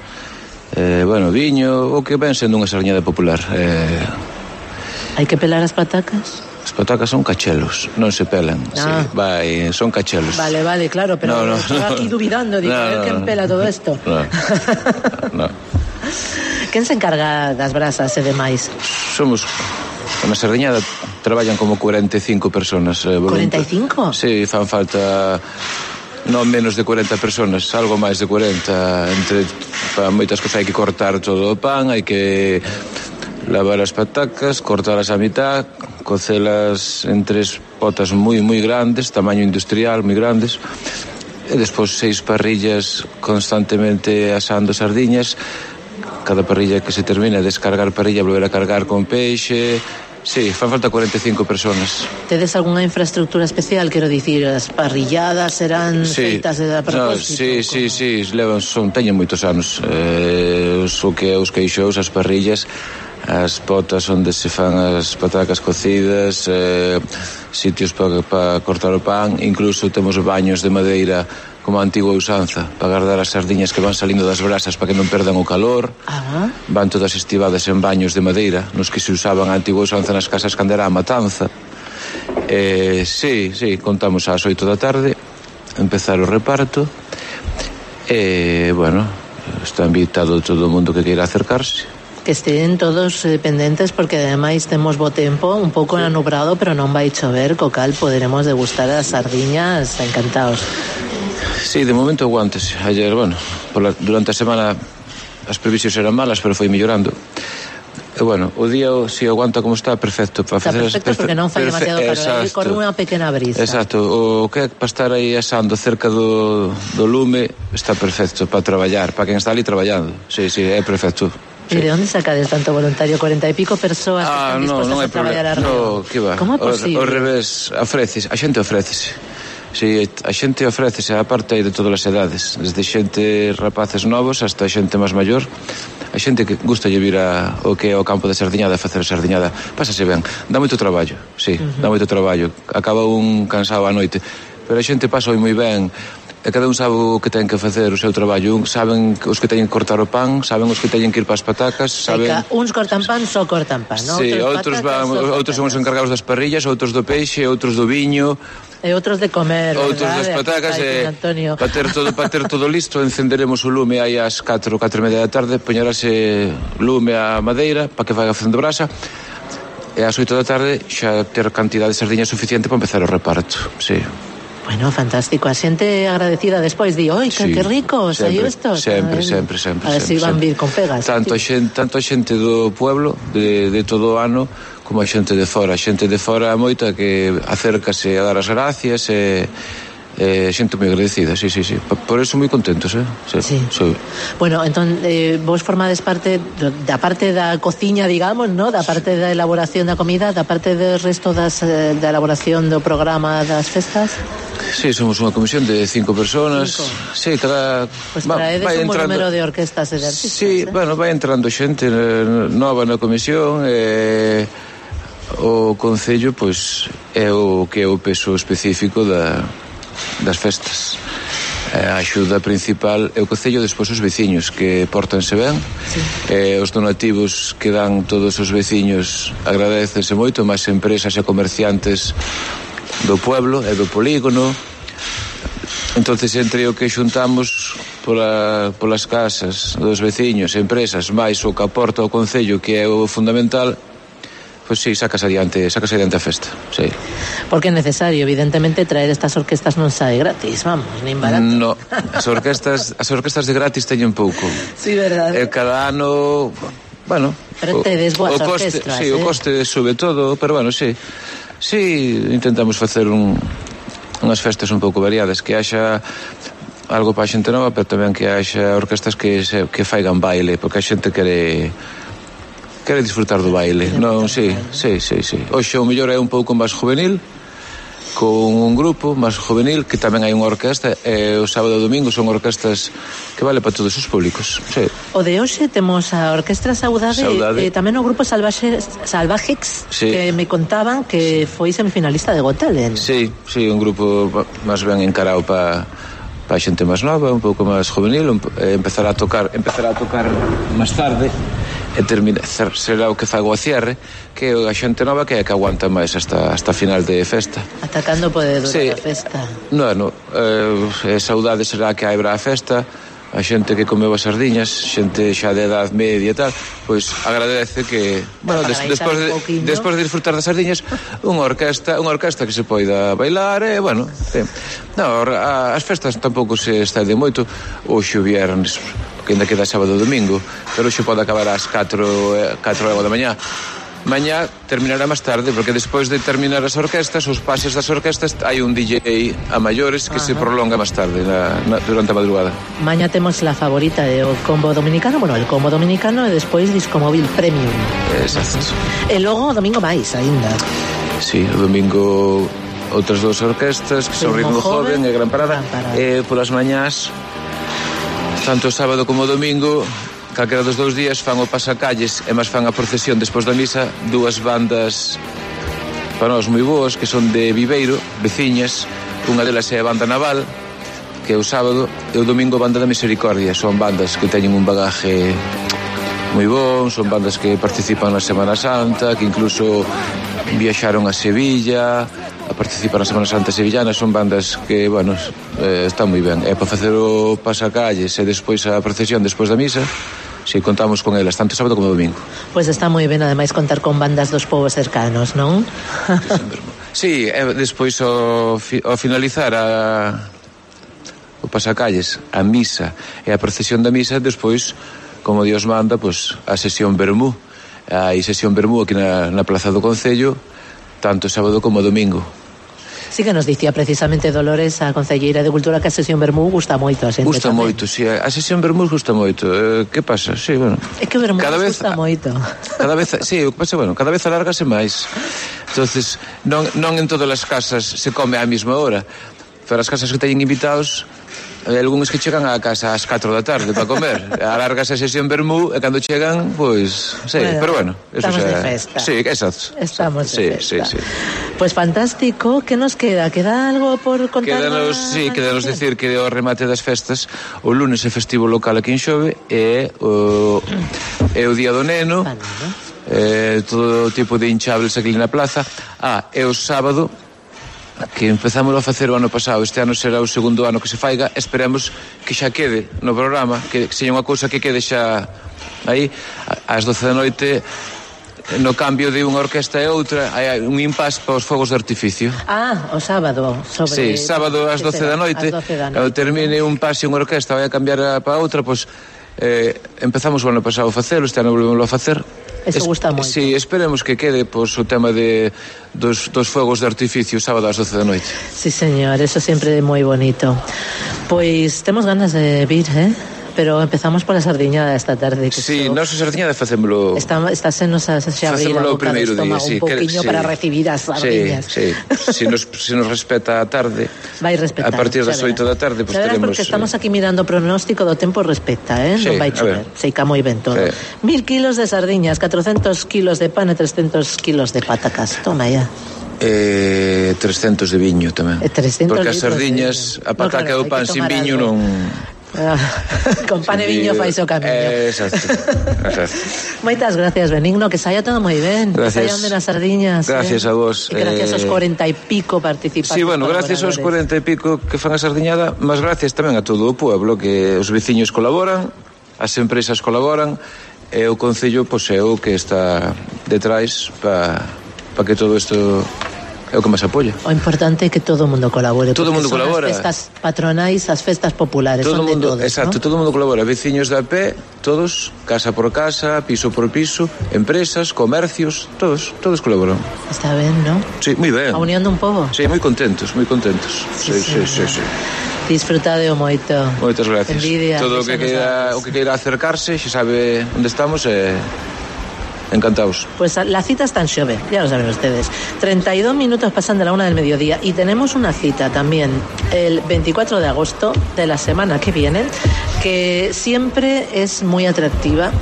eh, bueno, viño, o que ven sendo unha sardiñada popular. Eh, Hai que pelar as patacas? As patacas son cachelos, non se pelan, Ah. sí, vai, son cachelos. Vale, vale, claro, pero No, no, estoy no. aquí dubidando, digo, No, a ver no, quién no. pela todo esto. No, no. Quen se encarga das brasas e demais? Somos, na sardiñada traballan como cuarenta e cinco personas. Eh, cuarenta e cinco? Sí, fan falta non menos de cuarenta personas, algo máis de cuarenta. Entre para moitas cosas hai que cortar todo o pan, hai que lavar as patacas, cortalas a mitad, cocelas en tres potas moi moi grandes, tamaño industrial, moi grandes. E despois seis parrillas constantemente asando sardiñas. Cada parrilla que se termina, descargar parrilla, volver a cargar con peixe. Sí, fan falta cuarenta e cinco personas. Tedes algunha infraestructura especial, quero dicir, as parrilladas serán Sí, feitas de a no, propósito? sí, sí, sí, levan, son, teñen moitos anos. Eh, o que é os queixos, as parrillas, as potas onde se fan as patacas cocidas, eh, sitios para pa cortar o pan, incluso temos baños de madeira como a antigua usanza, para guardar as sardiñas que van salindo das brasas para que non perdan o calor. Ah. Van todas estivadas en baños de madeira, nos que se usaban a antigua usanza nas casas cando era a matanza. Eh, sí, sí, contamos ás oito da tarde, empezar o reparto, e, bueno, está invitado todo o mundo que queira acercarse. Que estén todos eh, pendentes, porque ademais temos bo tempo, un pouco sí. anubrado, pero non vai chover, co cal poderemos degustar as sardiñas encantados. Sí, de momento aguántese. Ayer, bueno, pola, durante a semana as previsións eran malas, pero foi mellorando. E, bueno, o día, si aguanta como está, perfecto. Para está facer perfecto, as, porque non fai demasiado calor, corre unha pequena brisa. Exacto, o que é para estar aí asando cerca do, do lume está perfecto para traballar, para quen está ali traballando. Sí, sí, é perfecto. Sí. ¿Y de onde sacades tanto voluntario? Cuarenta e pico persoas ah, que están dispostas no, non a traballar arriba. No, que va. Como é posible? O, o revés, ofreces, a xente ofrécese. Si, a xente ofrécese, a parte de todas as edades, desde xente rapaces novos hasta xente máis maior. A xente que gusta de vir a, o que é o campo de sardiñada, a facer a sardiñada, pásase ben. Dá moito traballo, sí, uh-huh. dá moito traballo. Acaba un cansado a noite, pero a xente pasa moi ben. E cada un sabe o que ten que facer o seu traballo. Un saben os que teñen que cortar o pan, saben os que teñen que ir para as patacas, saben... Seca, uns cortan pan, só cortan pan, non? Sí, outros, van, outros son os encargados das parrillas, outros do peixe, outros do viño, e outros de comer, outros das patacas, e para ter todo para ter todo listo, encenderemos o lume aí ás catro, catro e media da tarde, poñerase lume á madeira para que vaya facendo brasa. E ás oito da tarde xa ter cantidad de sardiñas suficiente para empezar o reparto. Sí. Bueno, fantástico. A xente agradecida despois di, oi, que, sí, que rico, saiu isto. Sempre, sempre, sempre. A ver se van vir con pegas. Tanto a xente, tanto a xente do pueblo, de, de todo o ano, como a xente de fora. A xente de fora moita que acércase a dar as gracias e... Eh, xente moi agradecida, sí, sí, sí. Por eso moi contentos, eh? Sí, sí. sí. Bueno, entón, eh, vos formades parte da parte da cociña, digamos, ¿no? Da parte da elaboración da comida, da parte do resto das, eh, da elaboración do programa das festas? Sí, somos unha comisión de cinco personas. Cinco. Sí, cada... Pues traedes va, un entrando... número de orquestas e de artistas. Sí, eh? bueno, vai entrando xente nova na comisión, e o Concello, pois, é o que é o peso específico da... das festas. A axuda principal é o Concello, despois os veciños que portanse ben, sí. E os donativos que dan todos os veciños agradécense moito, máis empresas e comerciantes do pueblo e do polígono. entonces entre o que xuntamos pola, polas casas dos veciños, empresas, máis o que aporta o Concello, que é o fundamental, pois sí, sacas adiante, sacas adiante a festa, sí. Porque é necesario, evidentemente, traer estas orquestas non sae gratis, vamos, nin barato. No, as orquestas, as orquestas de gratis teñen pouco. Sí, verdade. E cada ano, bueno, pero tedes boas orquestras, sí, eh? o coste sobre todo, pero bueno, sí. Sí, intentamos facer un, unhas festas un pouco variadas, que haxa algo para a xente nova, pero tamén que haxa orquestas que se, que faigan baile, porque a xente quere quere disfrutar do baile. Non, sí, sí, sí, sí. Hoxe o mellor é un pouco máis juvenil, con un grupo máis juvenil, que tamén hai unha orquesta, e o sábado e o domingo son orquestas que vale para todos os públicos, sí. O de hoxe temos a Orquestra Saudade, e eh, tamén o grupo Salvajes, Salvajex, sí, que me contaban que foi semifinalista de Got Talent. Sí, sí, un grupo máis ben encarado para pa xente máis nova, un pouco máis juvenil, un, eh, empezar a tocar, empezar a tocar máis tarde, e termina, será o que fago a cierre, que a xente nova que é que aguanta máis hasta, hasta final de festa. Atacando pode durar sí. a festa. No, no, eh, saudade será que haibra a festa, a xente que comeu as sardiñas, xente xa de edad media e tal, pois agradece que, bueno, des, despois de, despois de disfrutar das sardiñas, unha orquesta, unha orquesta que se poida bailar, e, bueno, sí. No, a, as festas tampouco se estende moito, hoxe o viernes, que ainda queda sábado e domingo, pero hoxe pode acabar ás catro da mañá. Mañá terminará máis tarde, porque despois de terminar as orquestas, os pases das orquestas, hai un D J a maiores que Ajá. se prolonga máis tarde, na, na, durante a madrugada. Mañá temos la favorita de o combo dominicano, bueno, el combo dominicano e despois disco móvil premium. Exacto. E logo o domingo máis, aínda. Sí, o domingo outras dúas orquestas, que son Ritmo Joven e Gran Parada, Gran Parada. E polas mañás, tanto o sábado como o domingo, calquera dos dous días fan o pasacalles e máis fan a procesión despois da misa, dúas bandas para nós moi boas, que son de Viveiro, veciñas. Unha delas é a Banda Naval, que é o sábado, e o domingo Banda da Misericordia. Son bandas que teñen un bagaje moi bon, son bandas que participan na Semana Santa, que incluso viaxaron a Sevilla a participar na Semana Santa sevillana. Son bandas que, bueno, eh, están moi ben. E para facer o pasacalles e despois a procesión despois da misa, si contamos con elas, tanto sábado como domingo. Pois pues está moi ben, ademais, contar con bandas dos povos cercanos, non? Sí, e despois ao, fi, ao finalizar a, o pasacalles, a misa e a procesión da misa, despois, como Dios manda, pues, a sesión vermú. Hai sesión vermú aquí na, na Plaza do Concello, tanto sábado como domingo. Sí, que nos dicía precisamente Dolores, a concelleira de Cultura, que a sesión vermú gusta moito a xente. Gusta tamén. moito, si, sí, a sesión vermú gusta moito. Eh, que pasa? Sí, bueno. É que o vermú cada vez, gusta moito. Cada vez, sí, o que pasa, bueno, cada vez alárgase máis. Entonces, non, non en todas as casas se come á mesma hora. Pero as casas que teñen invitados, hai algúns que chegan á casa ás catro da tarde para comer. Alárgase a sesión vermú e cando chegan, pois, sí, bueno, pero bueno, eso estamos xa, de festa. Sí, exacto. Estamos sí, de festa. Sí, sí. Pues fantástico, que nos queda? Queda algo por contar? Quedanos, sí, quedanos decir que o remate das festas, o lunes é festivo local aquí en Xove, e o, é o Día do Neno, eh, todo tipo de hinchables aquí na plaza. Ah, e o sábado, que empezamos a facer o ano pasado, este ano será o segundo ano que se faiga, esperemos que xa quede no programa, que sexa unha cousa que quede xa aí, ás doce da noite, no cambio de unha orquesta e outra, hai un impas para os fogos de artificio. Ah, o sábado, sobre... Sí, sábado ás doce da noite, cando termine un pase unha orquesta vai a cambiar para outra, pois eh, empezamos o ano pasado a facelo, este ano volvemos a facer. Eso es, gusta moito. Sí, esperemos que quede pois, o tema de, dos, dos fogos de artificio sábado ás doce da noite. Sí, señor, eso sempre é moi bonito. Pois temos ganas de vir, eh? Pero empezamos pola sardiñada esta tarde. Que sí, so... nós a sardiñada facémolo... Está, está senos a xa abrir a boca do estómago sí, un poquinho sí, para recibir as sardiñas. Sí, sí. Si nos, si nos respeta a tarde, vai respetar, a partir das oito da tarde, pues teremos... Porque estamos aquí mirando o pronóstico do tempo, respecta, eh? Sí, non vai chover, seica moi ben todo. Sí. Mil kilos de sardiñas, catrocentos kilos de pan e trescentos kilos de patacas. Toma ya. Eh, trescentos de viño tamén. E trescentos porque as sardiñas, a pataca no, claro, e o pan sin viño non... Con pan e viño fais o camiño. Eh, exacto. exacto. Moitas gracias, Benigno, que saia todo moi ben. Gracias. Que saian ben as sardiñas. Gracias eh? a vos. E gracias eh... aos cuarenta e pico participantes. Sí, bueno, gracias aos cuarenta e pico que fan a sardiñada, mas gracias tamén a todo o pueblo, que os veciños colaboran, as empresas colaboran, e o Concello, pois, é o que está detrás para pa que todo isto é o que máis apoia. O importante é que todo o mundo colabore. Todo o mundo son colabora. As festas patronais, as festas populares, todo son mundo, de todos, exacto, ¿no? todo o mundo colabora, veciños de a pé, todos, casa por casa, piso por piso, empresas, comercios, todos, todos colaboran. Está ben, ¿no? Sí, moi ben. A unión dun pobo. Sí, moi contentos, moi contentos. Sí, sí, sí, sí. sí. Disfrutade o moito. Moitas gracias. Envidia. Todo o que queira, o que queira acercarse, xa sabe onde estamos, e encantados. Pues la cita está en Xove, ya lo saben ustedes. treinta y dos minutos pasan de la una del mediodía y tenemos una cita también el veinticuatro de agosto de la semana que viene, que siempre es muy atractiva,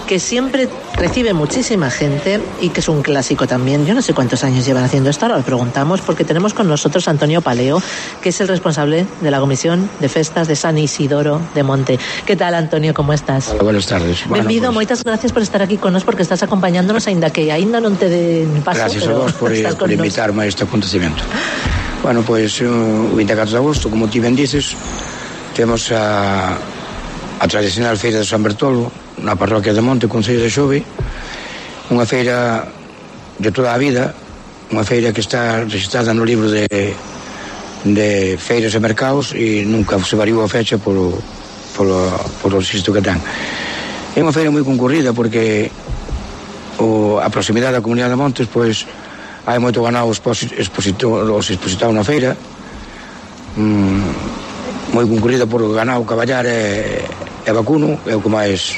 que siempre recibe muchísima gente y que es un clásico también. Yo no sé cuántos años llevan haciendo esto, ahora lo preguntamos, porque tenemos con nosotros a Antonio Paleo, que es el responsable de la Comisión de Festas de San Isidoro de Monte. ¿Qué tal, Antonio? ¿Cómo estás? Hola, buenas tardes. Bueno, Benvido, pues... moitas gracias por estar aquí con nos, porque estás acompañándonos ainda que aínda non te den paso. Gracias a vos por, por invitarme a este acontecimiento. Bueno, pois pues, o veinticuatro de agosto, como ti ben dices, temos a, a tradicional feira de San Bertolo na parroquia de Monte, Concello de Xove, unha feira de toda a vida, unha feira que está registrada no libro de, de feiras e mercados e nunca se variou a fecha polo, polo, polo registro que ten. É unha feira moi concurrida porque o, a proximidade da comunidade de Montes, pois hai moito ganado expositado, os expositados na feira, mm, moi concurrida por ganado caballar e, e vacuno, é o que máis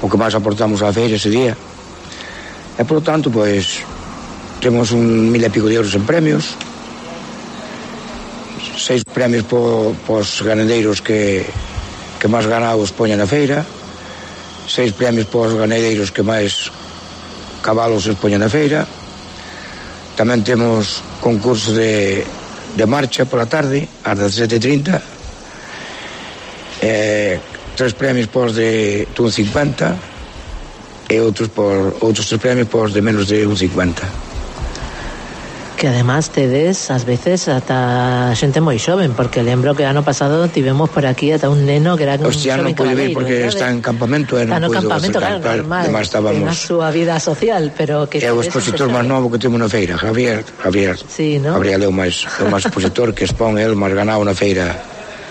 o que máis aportamos á feira ese día, e por lo tanto pois temos un mil e pico de euros en premios, seis premios po, pos ganadeiros que que máis ganados poñen na feira, seis premios pos ganadeiros que máis cabalos se poñen na feira. Tamén temos concurso de, de marcha pola tarde ás dezasete e trinta, eh, tres premios pos de un cincuenta e outros por outros tres premios pos de menos de un cincuenta. Que además tedes ás veces ata xente moi xoven, porque lembro que ano pasado tivemos por aquí ata un neno que era un Hostia, non pode vir porque está en campamento e non no puido campamento, acercar, claro, normal, además estábamos na súa vida social, pero que é o expositor máis novo que temos na feira, Javier, Javier. Sí, ¿no? Gabriel é o máis, o máis expositor que expón el máis ganado na feira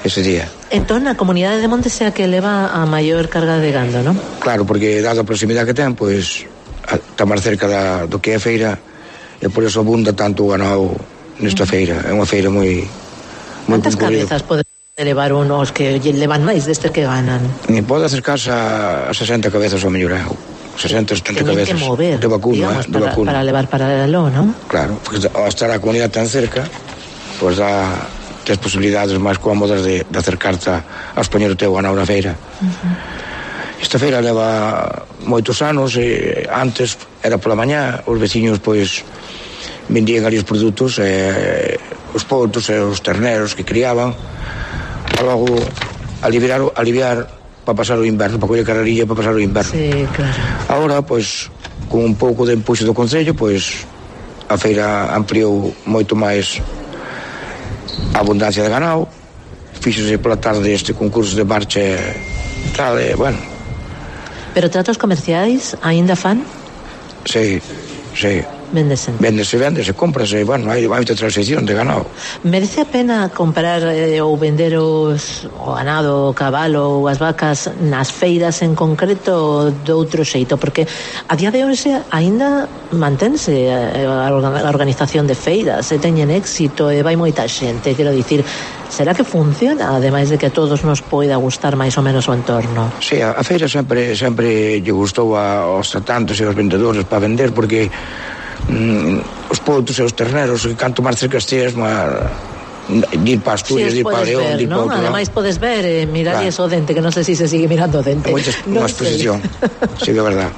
ese día. Entón, a comunidade de Monte sea que leva a maior carga de gando, ¿no? Claro, porque dado a proximidade que ten, pois está máis cerca da, do que é a feira, e por eso abunda tanto o ganado nesta feira. É unha feira moi moi Cantas cabezas pode levar unos que levan máis destes que ganan? Ni pode acercarse a, a sesenta cabezas ao mellor, sesenta, setenta cabezas que mover, de vacuno, digamos, eh, de para, vacuno. para levar paralelo, ¿no? Claro, porque ao estar a comunidade tan cerca, pois dá tes posibilidades máis cómodas de, de acercarte a expoñer o teu ganado na feira. Uh-huh. Esta feira leva moitos anos, e antes era pola mañá, os veciños pois vendían ali os produtos, eh, os potos e os terneros que criaban, para logo aliviar, aliviar para pasar o inverno, para coller carrerilla para pasar o inverno. Sí, claro. Agora, pois, con un pouco de empuxo do Concello, pois a feira ampliou moito máis a abundancia de ganado, fíxose pola tarde este concurso de marcha e tal, e, bueno. Pero tratos comerciais aínda fan? Sí, sí. Véndese. Véndese, véndese, cómprase, bueno, hai moita transición de ganado. Merece a pena comprar eh, ou vender os, o ganado, o cabalo ou as vacas nas feiras en concreto ou de outro xeito? Porque a día de hoxe aínda mantense a, a organización de feiras, e teñen éxito e vai moita xente, quero dicir, será que funciona, ademais de que a todos nos poida gustar máis ou menos o entorno? Sí, a, a feira sempre sempre lle gustou a, aos tratantes e aos vendedores para vender, porque mm, os potos e os terneros, que canto máis cerca estes, dir para Asturias, sí, dir para León, dir para outro. Ademais podes ver, eh, mirar claro. Eso dente, que non sei se se sigue mirando o dente. Moita, non unha exposición, sí que é verdad.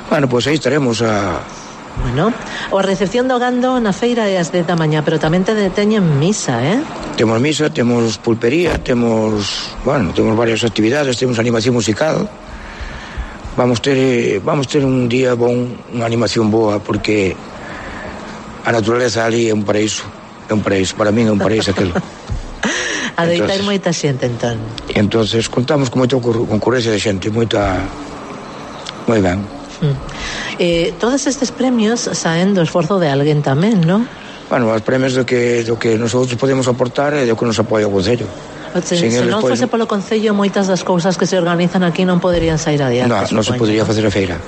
Bueno, pois pues aí estaremos a, Bueno, a recepción do gando na feira é as dez da mañá, pero tamén te teñen misa, eh? Temos misa, temos pulpería, temos, bueno, temos varias actividades, temos animación musical. Vamos ter vamos ter un día bon, unha animación boa, porque a naturaleza ali é un paraíso, é un paraíso, para min é un paraíso aquilo. A deitar moita xente, entón. E entonces contamos con moita concurrencia de xente, moita... moi ben. Mm. Eh, todos estes premios saen do esforzo de alguén tamén, non? Bueno, os premios do que, do que nosotros podemos aportar e do que nos apoia o Concello. Se, se non fose polo Concello, moitas das cousas que se organizan aquí non poderían sair adiante. Non, non se podería facer a feira.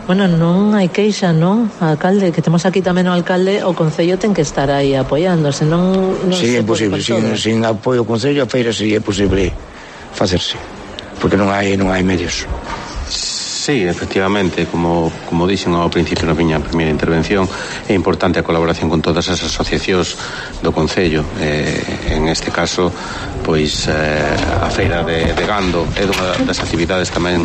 Bueno, non hai queixa, non? Alcalde, que temos aquí tamén o alcalde, o Concello ten que estar aí apoiando, senón non sí, se é imposible, sin, sin apoio do Concello a feira sería imposible facerse, porque non hai non hai medios. Sí, efectivamente, como, como dixen ao principio na miña primeira intervención, é importante a colaboración con todas as asociacións do Concello. Eh, en este caso, pois eh, a feira de, de gando é unha das actividades tamén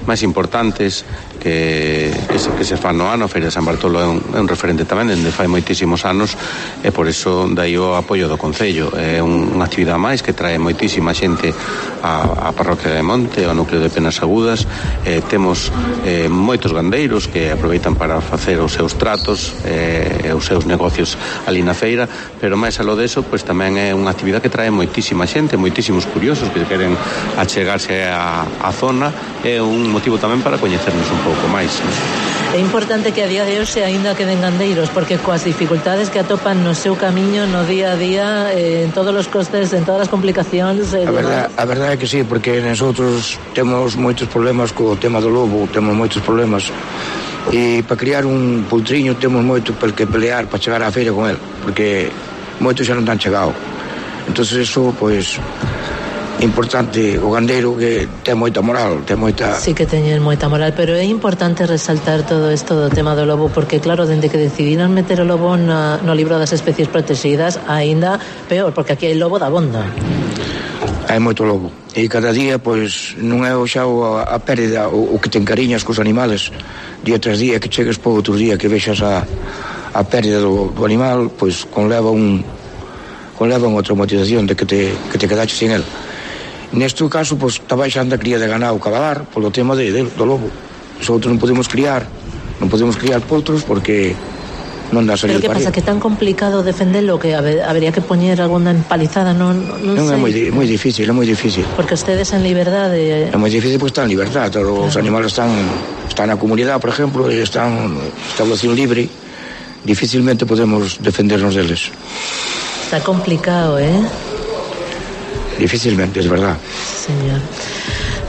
máis importantes que, que, se, que se fan no ano. A feira de San Bartolo é un, é un referente tamén dende fai moitísimos anos, e por iso dai o apoio do Concello. É un, unha actividade máis que trae moitísima xente a, a parroquia de Monte, ao núcleo de Penas Agudas. Eh, temos eh, moitos gandeiros que aproveitan para facer os seus tratos e eh, os seus negocios ali na feira, pero máis aló deso, pois tamén é unha actividade que trae moitísima xente, moitísimos curiosos que queren achegarse á, á zona. É un motivo tamén para coñecernos un pouco máis. É importante que a día de hoxe aínda queden gandeiros, porque coas dificultades que atopan no seu camiño no día a día, eh, en todos os costes, en todas as complicacións. Eh, a, verdade, a verdade é que sí, porque nosotros temos moitos problemas co tema do lobo, temos moitos problemas, e para criar un pultriño temos moito pel que pelear para chegar á feira con el, porque moitos xa non tan chegado. Entonces eso, pois, é importante o gandeiro que ten moita moral, ten moita... Sí que teñen moita moral, pero é importante resaltar todo isto do tema do lobo, porque claro, dende que decidiron meter o lobo na, no libro das especies protegidas, aínda peor, porque aquí hai lobo da bonda. Hai moito lobo, e cada día, pois, non é o xa a, a pérdida, o, o que te encariñas cos animales, día tras día, que chegues por outro día, que vexas a, a pérdida do, do animal, pois, conleva un conleva unha traumatización de que te, que te quedaches sin el. Neste caso, pois, está baixando a cría de ganado cabalar polo tema de, de, do lobo. Nosotros non podemos criar, non podemos criar potros porque non dá salir. Pero que pasa, que é tan complicado defendelo que habería que poñer alguna empalizada, non, non, non sei. É moi, moi difícil, é moi difícil. Porque ustedes en liberdade... É moi difícil porque están en liberdade, os claro. Animales están, están na comunidade, por exemplo, e están en establección libre, dificilmente podemos defendernos deles. Está complicado, eh? Dificilmente, es verdad. Señor.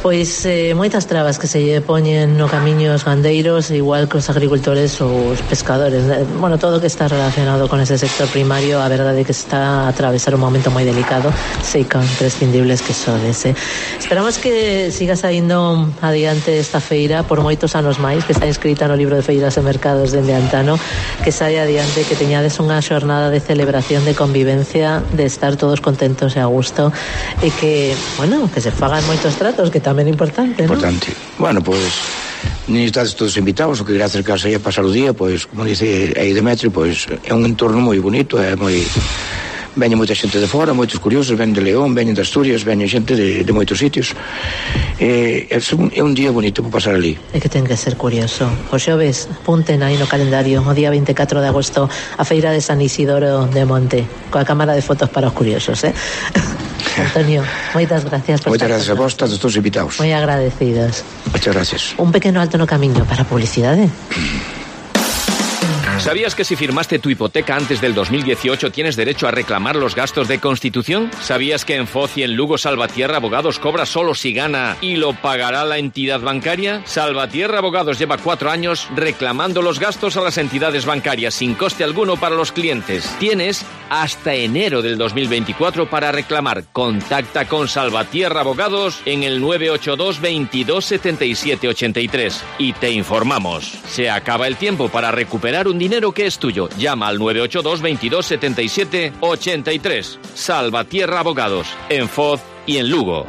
Pois eh, moitas trabas que se lle poñen no camiño os gandeiros, igual que os agricultores ou os pescadores. Bueno, todo o que está relacionado con ese sector primario, a verdade é que está a atravesar un momento moi delicado, sei que imprescindibles que sodes, eh. Esperamos que siga saindo adiante esta feira por moitos anos máis, que está inscrita no libro de feiras e mercados dende antano, que saia adiante, que teñades unha xornada de celebración, de convivencia, de estar todos contentos e a gusto, e que, bueno, que se fagan moitos tratos, que tamén é importante, importante. ¿No? Bueno, pois pues, nin estades todos invitados, o que quería acercarse aí a pasar o día, pois, pues, como dice aí Demetrio, pois pues, é un entorno moi bonito, é moi... Veñen moita xente de fora, moitos curiosos, veñen de León, veñen de Asturias, veñen xente de, de moitos sitios. Eh, é, un, é un día bonito para pasar ali. É que ten que ser curioso. O xoves, punten aí no calendario, o día vinte e catro de agosto, a feira de San Isidoro de Monte, coa cámara de fotos para os curiosos, eh? Antonio, moitas gracias por moitas gracias a vos, todos todos invitados. Moi agradecidos. Moitas gracias. Un pequeno alto no camiño para a publicidade. ¿Sabías que si firmaste tu hipoteca antes del dos mil dieciocho tienes derecho a reclamar los gastos de constitución? ¿Sabías que en Foz y en Lugo Salvatierra Abogados cobra solo si gana y lo pagará la entidad bancaria? Salvatierra Abogados lleva cuatro años reclamando los gastos a las entidades bancarias sin coste alguno para los clientes. Tienes hasta enero del dos mil veinticuatro para reclamar. Contacta con Salvatierra Abogados en el nueve ocho dos, veintidós, setenta y siete, ochenta y tres y te informamos. Se acaba el tiempo para recuperar un dinero que es tuyo. Llama al nueve ocho dos, veintidós, setenta y siete, ochenta y tres. Salvatierra Abogados, en Foz y en Lugo.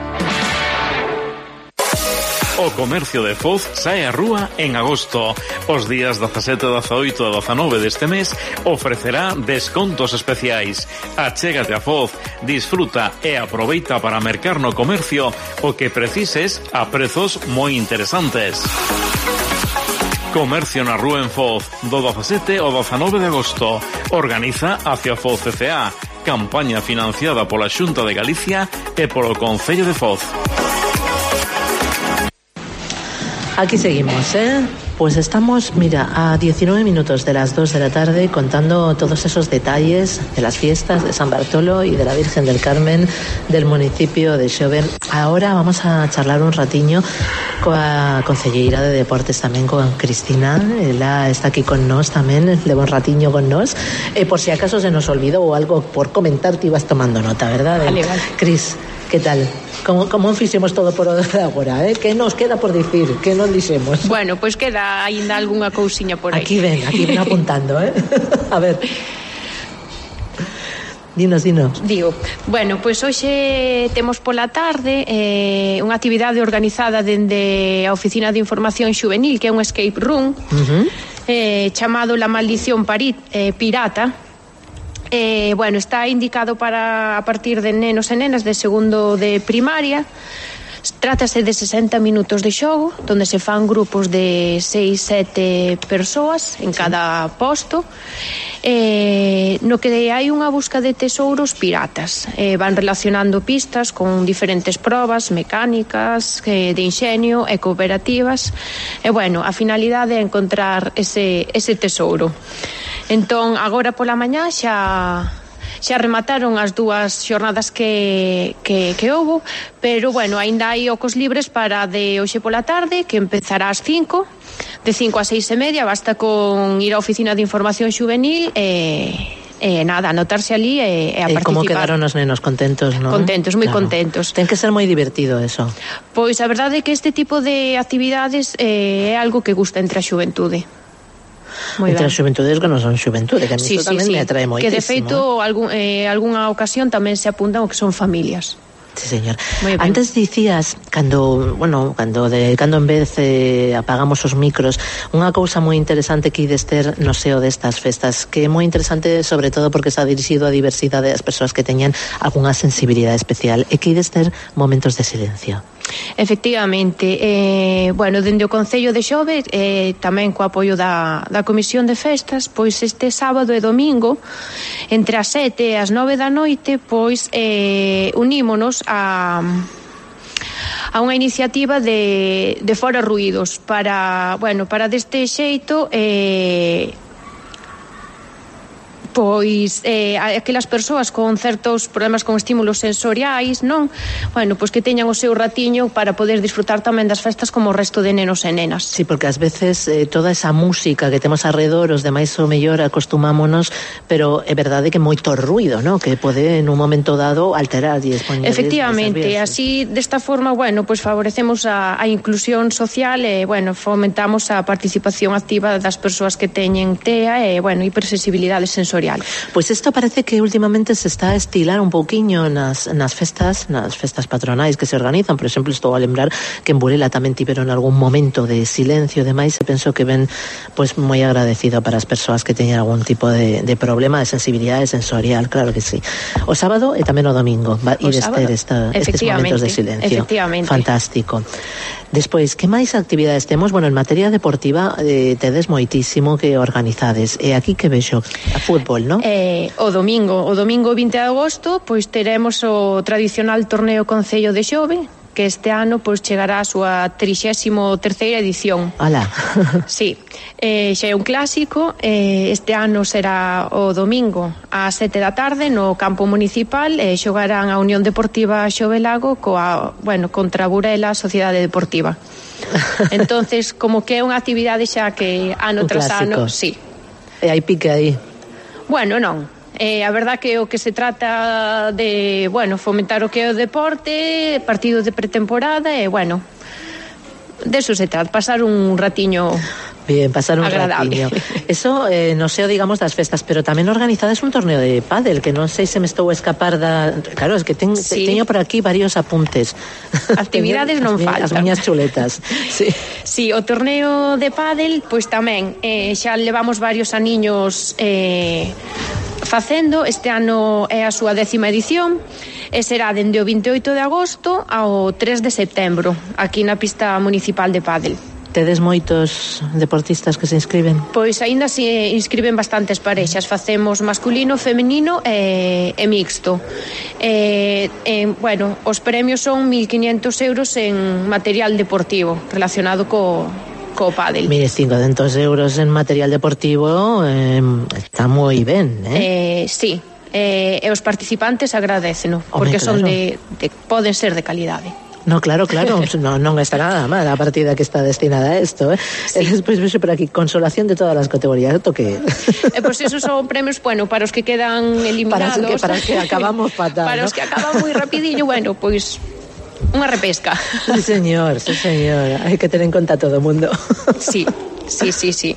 O comercio de Foz sae á rúa en agosto. Os días dezasete, dezaoito e dezanove deste mes ofrecerá descontos especiais. Achégate a Foz, disfruta e aproveita para mercar no comercio o que precises a prezos moi interesantes. Comercio na rúa en Foz, do dezasete ao dezanove de agosto. Organiza Hacia Foz C C A, campaña financiada pola Xunta de Galicia e polo Concello de Foz. Aquí seguimos, ¿eh? Pues estamos, mira, a diecinueve minutos de las dos de la tarde contando todos esos detalles de las fiestas de San Bartolo y de la Virgen del Carmen del municipio de Xove. Ahora vamos a charlar un ratiño coa concelleira de Deportes tamén, con Cristina. Ela está aquí con nós tamén, leva un ratiño con nós. E por si acaso se nos olvidou ou algo por comentar, te ibas tomando nota, verdad? Vale, vale. Cris, que tal? Como, como fixemos todo por agora, eh? Que nos queda por dicir? Que non dixemos? Bueno, pois pues queda aínda algunha cousiña por aí. Aquí ven, aquí ven apuntando, eh? A ver. Dinos, dinos. Digo, bueno, pois pues hoxe temos pola tarde eh, unha actividade organizada dende a Oficina de Información Xuvenil, que é un escape room, uh-huh. eh, chamado La Maldición Pari, eh, Pirata. Eh, bueno, está indicado para a partir de nenos e nenas de segundo de primaria. Trátase de sesenta minutos de xogo, donde se fan grupos de seis, sete persoas en cada posto, eh, no que hai unha busca de tesouros piratas. Eh, van relacionando pistas con diferentes probas mecánicas, eh, de inxenio e cooperativas. E bueno, a finalidade é encontrar ese, ese tesouro. Entón, agora pola mañá xa xa remataron as dúas xornadas que, que, que houbo, pero bueno, aínda hai ocos libres para de hoxe pola tarde, que empezará ás cinco, de cinco a seis e media, basta con ir á Oficina de Información Xuvenil e... Eh, nada, anotarse ali e, e a participar. Como quedaron os nenos? Contentos, non? Contentos, moi claro. Contentos. Ten que ser moi divertido eso. Pois a verdade é que este tipo de actividades eh, é algo que gusta entre a xuventude. Muy entre ben. As xuventudes que non son xuventude, que a mí sí, tamén sí, me atrae moitísimo. Que de feito, algún, eh, algunha ocasión tamén se apuntan o que son familias. Sí, señor. Antes dicías, cando, bueno, cando de cando en vez eh, apagamos os micros, unha cousa moi interesante que ides ter no seo destas festas, que é moi interesante sobre todo porque está dirixido a diversidade das persoas que teñan algunha sensibilidade especial, e que ides ter momentos de silencio. Efectivamente, eh, bueno, dende o Concello de Xove, eh, tamén co apoio da, da Comisión de Festas, pois este sábado e domingo, entre as sete e as nove da noite, pois eh, unímonos a a unha iniciativa de, de Fora Ruídos para, bueno, para deste xeito eh, pois eh, aquelas persoas con certos problemas con estímulos sensoriais, non? Bueno, pois que teñan o seu ratiño para poder disfrutar tamén das festas como o resto de nenos e nenas. Sí, porque ás veces eh, toda esa música que temos alrededor, os demais o mellor acostumámonos, pero é verdade que moito ruido, non? Que pode en un momento dado alterar e expoñer. Efectivamente, así desta forma, bueno, pois favorecemos a, a inclusión social e, bueno, fomentamos a participación activa das persoas que teñen T E A e, bueno, hipersensibilidade sensorial. Pois isto parece que últimamente se está a estilar un pouquiño nas, nas festas, nas festas patronais que se organizan. Por exemplo, estou a lembrar que en Burela tamén tiveron algún momento de silencio e demais, e penso que ven pois moi agradecido para as persoas que teñen algún tipo de, de problema de sensibilidade sensorial, claro que sí. O sábado e tamén o domingo va ir ter esta, estes momentos de silencio. Fantástico. Despois, que máis actividades temos? Bueno, en materia deportiva eh, tedes moitísimo que organizades. E aquí que vexo? A fútbol, non? Eh, o domingo, o domingo vinte de agosto, pois teremos o tradicional torneo Concello de Xove, que este ano pois chegará a súa trixésimo terceira edición. Alá. Sí, eh, xa é un clásico. eh, este ano será o domingo ás sete da tarde no campo municipal, e eh, xogarán a Unión Deportiva Xovelago coa, bueno, contra Burela Sociedade Deportiva. Entonces, como que é unha actividade xa que ano un tras clásico. ano, sí. E hai pique aí. Bueno, non. Eh, a verdad que o que se trata de, bueno, fomentar o que é o deporte, partidos de pretemporada e, bueno, de eso se trata, pasar un ratiño Bien, pasar un agradable. ratiño. Eso, eh, no sei, digamos, das festas, pero tamén organizades un torneo de pádel, que non sei se me estou a escapar da... Claro, es que ten, sí. teño por aquí varios apuntes. Actividades non faltan. As miñas chuletas. Sí. Sí, o torneo de pádel, pois tamén, eh, xa levamos varios aniños eh, facendo. Este ano é a súa décima edición e será dende o veintioito de agosto ao tres de setembro, aquí na pista municipal de pádel. Tedes moitos deportistas que se inscriben? Pois aínda se inscriben bastantes parexas. Facemos masculino, femenino e, e mixto. E, e, bueno, os premios son mil quinientos euros en material deportivo relacionado co, co pádel. mil quinhentos euros en material deportivo eh, está moi ben, eh? eh? Sí, eh, e os participantes agradeceno, porque claro. son de, de, poden ser de calidade. No, claro, claro, no, non está nada mal a partida que está destinada a esto, eh? Sí. E despois vexo por aquí, consolación de todas as categorías, toque. E pois esos son premios, bueno, para os que quedan eliminados. Para, que, para que acabamos fatal, para ¿no? os que acaban moi rapidillo, bueno, pois unha repesca. Sí, señor, sí, señor. Hai que ter en conta todo o mundo. Sí, sí, sí, sí.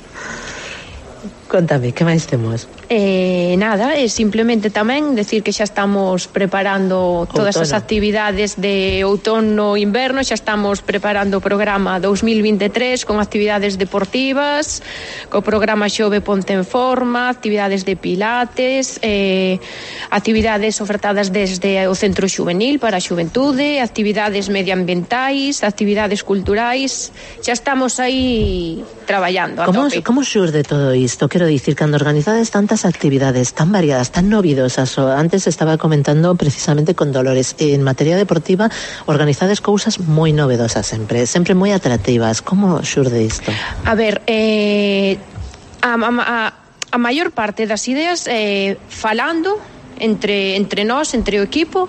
Contame, que máis temos? Eh, nada, é simplemente tamén decir que xa estamos preparando todas outono. As actividades de outono e inverno, xa estamos preparando o programa dos mil veintitrés con actividades deportivas, co programa Xove Ponte en Forma, actividades de pilates, eh, actividades ofertadas desde o Centro Xuvenil para a Xuventude, actividades medioambientais, actividades culturais, xa estamos aí traballando a como, tope. Como xurde todo isto? Quero dicir, cando organizades tantas actividades tan variadas, tan novidosas, o antes estaba comentando precisamente con Dolores, en materia deportiva organizades cousas moi novedosas sempre, sempre moi atractivas. Como xurde isto? A ver, eh, a, a, a maior parte das ideas eh, falando entre, entre nós, entre o equipo,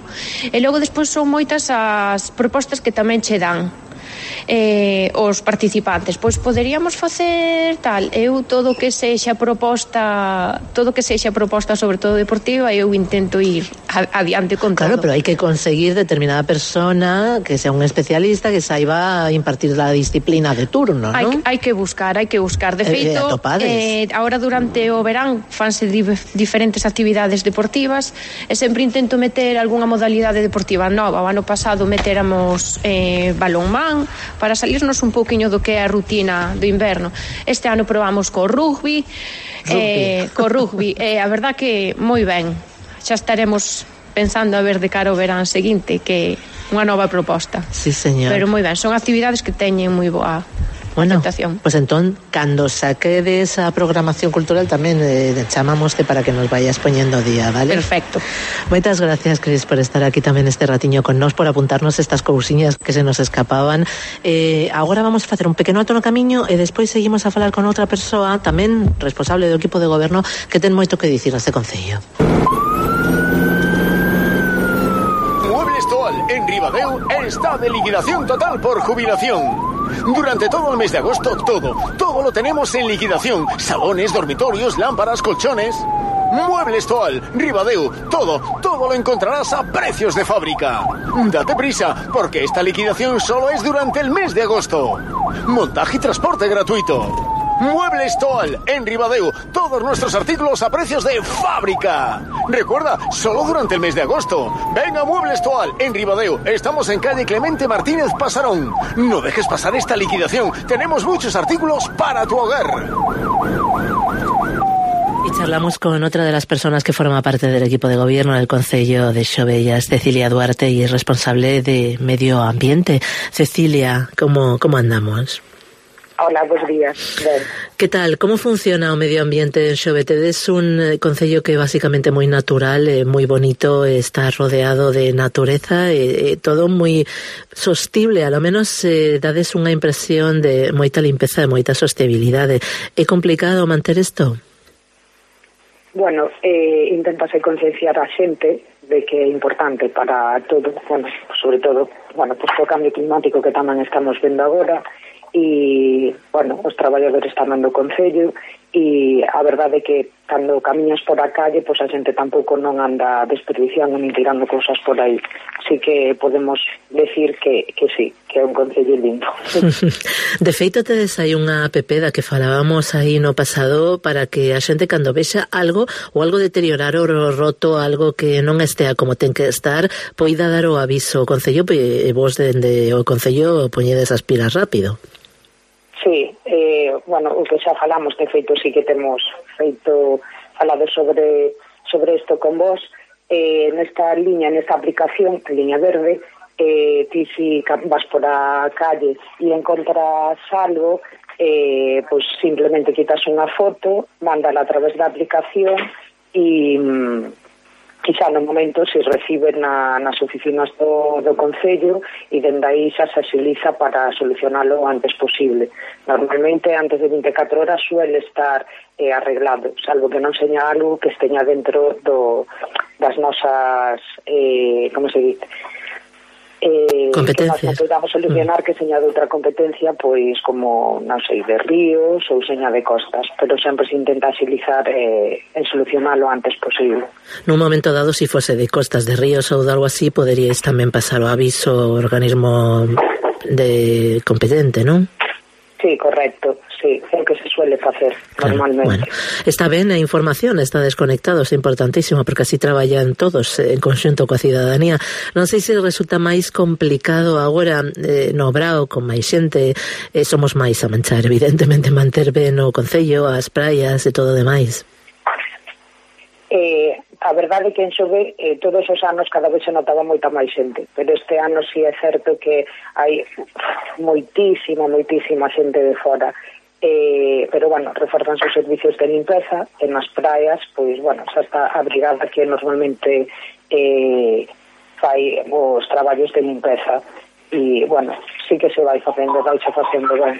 e logo despois son moitas as propostas que tamén che dan eh, os participantes. Pois poderíamos facer tal, eu todo que sexa proposta todo que sexa proposta sobre todo deportiva, eu intento ir adiante con todo. Claro, pero hai que conseguir determinada persona que sea un especialista, que saiba impartir la disciplina de turno, hai, ¿no? hai que buscar, hai que buscar de feito, eh, agora durante o verán fanse di diferentes actividades deportivas e sempre intento meter algunha modalidade deportiva nova. O ano pasado meteramos eh, balonmán para salirnos un pouquiño do que é a rutina do inverno. Este ano probamos co rugby, eh, co rugby, e eh, a verdad que moi ben. Xa estaremos pensando a ver de cara ao verán seguinte que unha nova proposta. Sí, señor. Pero moi ben, son actividades que teñen moi boa bueno, aceptación. Pues entón, cando saque de esa programación cultural tamén eh, chamámoste para que nos vayas poñendo o día, vale? Perfecto. Moitas gracias, Cris, por estar aquí tamén este ratiño con nós, por apuntarnos estas cousiñas que se nos escapaban. Eh, agora vamos a facer un pequeno alto no camiño e despois seguimos a falar con outra persoa, tamén responsable do equipo de goberno, que ten moito que dicir neste concello. Muebles Toal en Ribadeo está de liquidación total por jubilación. Durante todo el mes de agosto, todo, todo lo tenemos en liquidación. Salones, dormitorios, lámparas, colchones. Muebles Toal, Ribadeo, todo, todo lo encontrarás a precios de fábrica. Date prisa, porque esta liquidación solo es durante el mes de agosto. Montaje y transporte gratuito. Muebles Toal, en Ribadeo, todos nuestros artículos a precios de fábrica. Recuerda, solo durante el mes de agosto. Ven a Muebles Toal, en Ribadeo. Estamos en calle Clemente Martínez Pasarón. No dejes pasar esta liquidación. Tenemos muchos artículos para tu hogar. Y charlamos con otra de las personas que forma parte del equipo de gobierno del Concello de Xovellas, Cecilia Duarte, y es responsable de Medio Ambiente. Cecilia, ¿cómo, cómo andamos? Hola, buenos días. Ben. Que tal? Como funciona o medio ambiente en Xove? Tedes un eh, concello que é basicamente moi natural, eh, moi bonito, eh, está rodeado de natureza, eh, eh, todo moi sostible, a lo menos eh, dades unha impresión de moita limpeza, de moita sostenibilidade. É complicado manter isto? Bueno, eh, intentase concienciar a xente de que é importante para todo, bueno, sobre todo, bueno, pues o cambio climático que tamén estamos vendo agora, e bueno, os traballadores tamén do Concello, e a verdade é que cando camiñas por a calle, pois a xente tampouco non anda desperdiciando nin tirando cousas por aí. Así que podemos decir que, que sí, que é un Concello lindo. De feito, tedes aí unha app da que falábamos aí no pasado para que a xente cando vexa algo ou algo deteriorado ou roto, algo que non estea como ten que estar, poida dar o aviso o Concello e vos dende o Concello poñedes as pilas rápido. Sí, eh, bueno, o que xa falamos, de feito sí que temos feito falado sobre sobre isto con vos, eh, nesta liña, nesta aplicación, liña verde, eh, ti si vas por a calle e encontras algo, eh, pues simplemente quitas unha foto, mándala a través da aplicación e... e xa no momento se recibe na, nas oficinas do, do Concello e dende aí xa se agiliza para solucionalo o antes posible. Normalmente antes de vinte e catro horas suele estar eh, arreglado, salvo que non seña algo que esteña dentro do, das nosas eh, como se dice eh, competencias que nós podamos solucionar, mm. que seña de outra competencia, pois como, non sei, de ríos ou seña de costas, pero sempre se intenta agilizar eh, en solucionar lo antes posible. Nun momento dado, si fose de costas, de ríos ou de algo así, poderíais tamén pasar o aviso ao organismo de competente, non? Sí, correcto, sí, é o que se suele facer claro, normalmente. Bueno, está ben a información, está desconectado, é importantísimo, porque así traballan todos en conxunto coa cidadanía. Non sei se resulta máis complicado agora eh, no Brao, con máis xente, eh, somos máis a manchar, evidentemente, manter ben o Concello, as praias e todo demais. Eh, a verdade é que en Xove eh, todos os anos cada vez se notaba moita máis xente, pero este ano sí é certo que hai moitísima, moitísima xente de fora, eh, pero bueno, reforzan os servicios de limpeza en as praias, pois bueno, xa está a brigada que normalmente eh, fai os traballos de limpeza e bueno, sí que se vai facendo, vai xa facendo ben.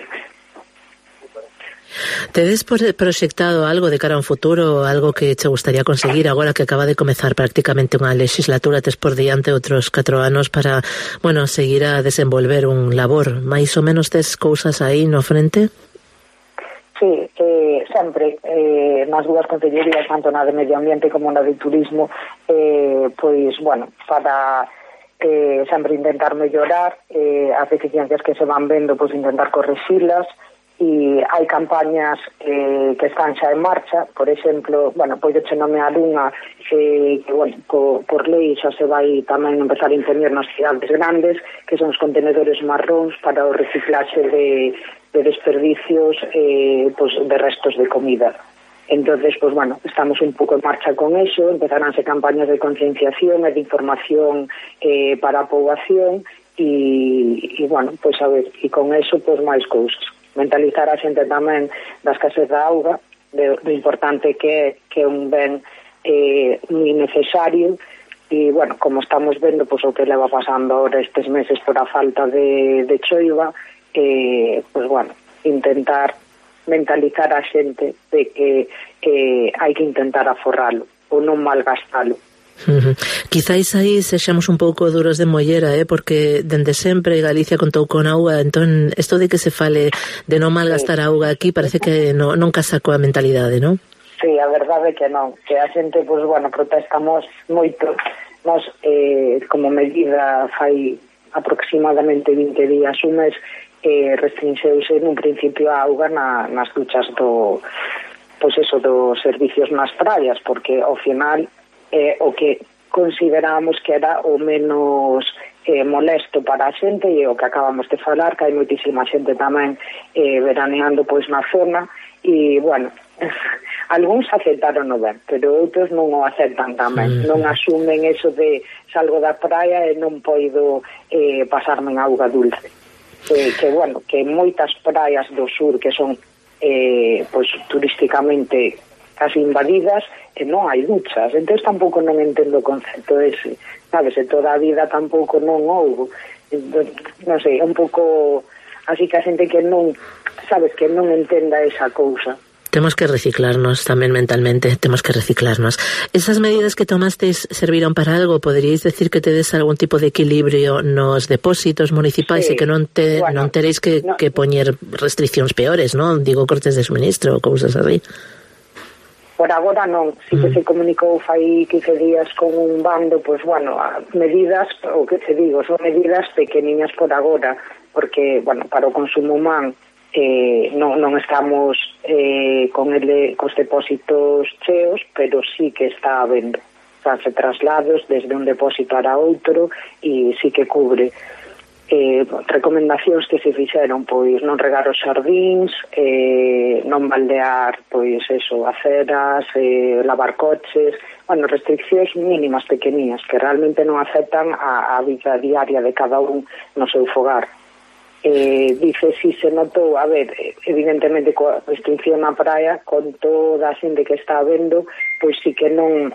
Tedes proxectado algo de cara a un futuro, algo que che gustaría conseguir agora que acaba de comezar prácticamente unha legislatura, tes por diante outros catro anos para, bueno, seguir a desenvolver un labor, máis ou menos tes cousas aí no frente? Sí, eh, sempre eh, nas dúas concellerías, tanto na de medio ambiente como na de turismo, eh, pois, bueno, para eh, sempre intentar mellorar eh, as deficiencias que se van vendo, pois intentar correxilas. E hai campañas eh, que están xa en marcha, por exemplo, bueno, pois de nomear unha eh, que, bueno, co, por lei xa se vai tamén empezar a imprimir nas cidades grandes, que son os contenedores marróns para o reciclaxe de, de desperdicios eh, pues, de restos de comida. Entonces, pues bueno, estamos un pouco en marcha con eso, empezaránse campañas de concienciación e de información eh, para a poboación e, e bueno, pues a ver, e con eso, pues máis cousas. Mentalizar a xente tamén da escasez da auga, de, do importante que é que é un ben eh, moi necesario e, bueno, como estamos vendo, pois, o que leva pasando ahora estes meses por a falta de, de choiva, eh, pois, bueno, intentar mentalizar a xente de que eh, hai que intentar aforralo ou non malgastalo. Uh-huh. Quizáis aí sexamos un pouco duros de mollera, eh? Porque dende sempre Galicia contou con auga, entón isto de que se fale de non malgastar sí. auga aquí parece que no, non casa coa mentalidade, non? Sí, a verdade é que non, que a xente, pues, bueno, protestamos moito. Nos, eh, como medida, fai aproximadamente vinte días, un mes, eh, restrinxeuse nun principio a auga na, nas duchas do, pois eso, dos servicios nas praias, porque ao final eh, o que consideramos que era o menos eh, molesto para a xente e o que acabamos de falar, que hai moitísima xente tamén eh, veraneando pois na zona e, bueno, algúns aceptaron o ben, pero outros non o aceptan tamén, non asumen eso de salgo da praia e non poido eh, pasarme en auga dulce. Eh, que, bueno, que moitas praias do sur que son eh, pois turísticamente casi invadidas e non hai duchas, entón tampouco non entendo o concepto ese, sabes, e toda a vida tampouco non houbo, entón, non sei, é un pouco así que a xente que non, sabes, que non entenda esa cousa. Temos que reciclarnos tamén mentalmente, temos que reciclarnos. Esas medidas que tomasteis serviron para algo? Poderíais decir que tedes algún tipo de equilibrio nos depósitos municipais sí. e que non te bueno, non teréis que, no. que poñer restriccións peores, non? Digo, cortes de suministro, cousas así. Por agora non, si que mm. se comunicou fai quince días con un bando, pois pues, bueno, medidas, o que te digo, son medidas pequeniñas por agora, porque, bueno, para o consumo humano Eh, non, non estamos eh, con ele, cos depósitos cheos, pero sí que está habendo fanse traslados desde un depósito para outro e sí que cubre eh, recomendacións que se fixeron, pois non regar os xardíns, eh, non baldear pois eso, aceras, eh, lavar coches, bueno, restriccións mínimas pequeninas que realmente non afectan a, a vida diaria de cada un no seu fogar. Eh, dice si se notou, a ver, evidentemente coa restricción na praia, con toda a xente que está habendo, pois si que non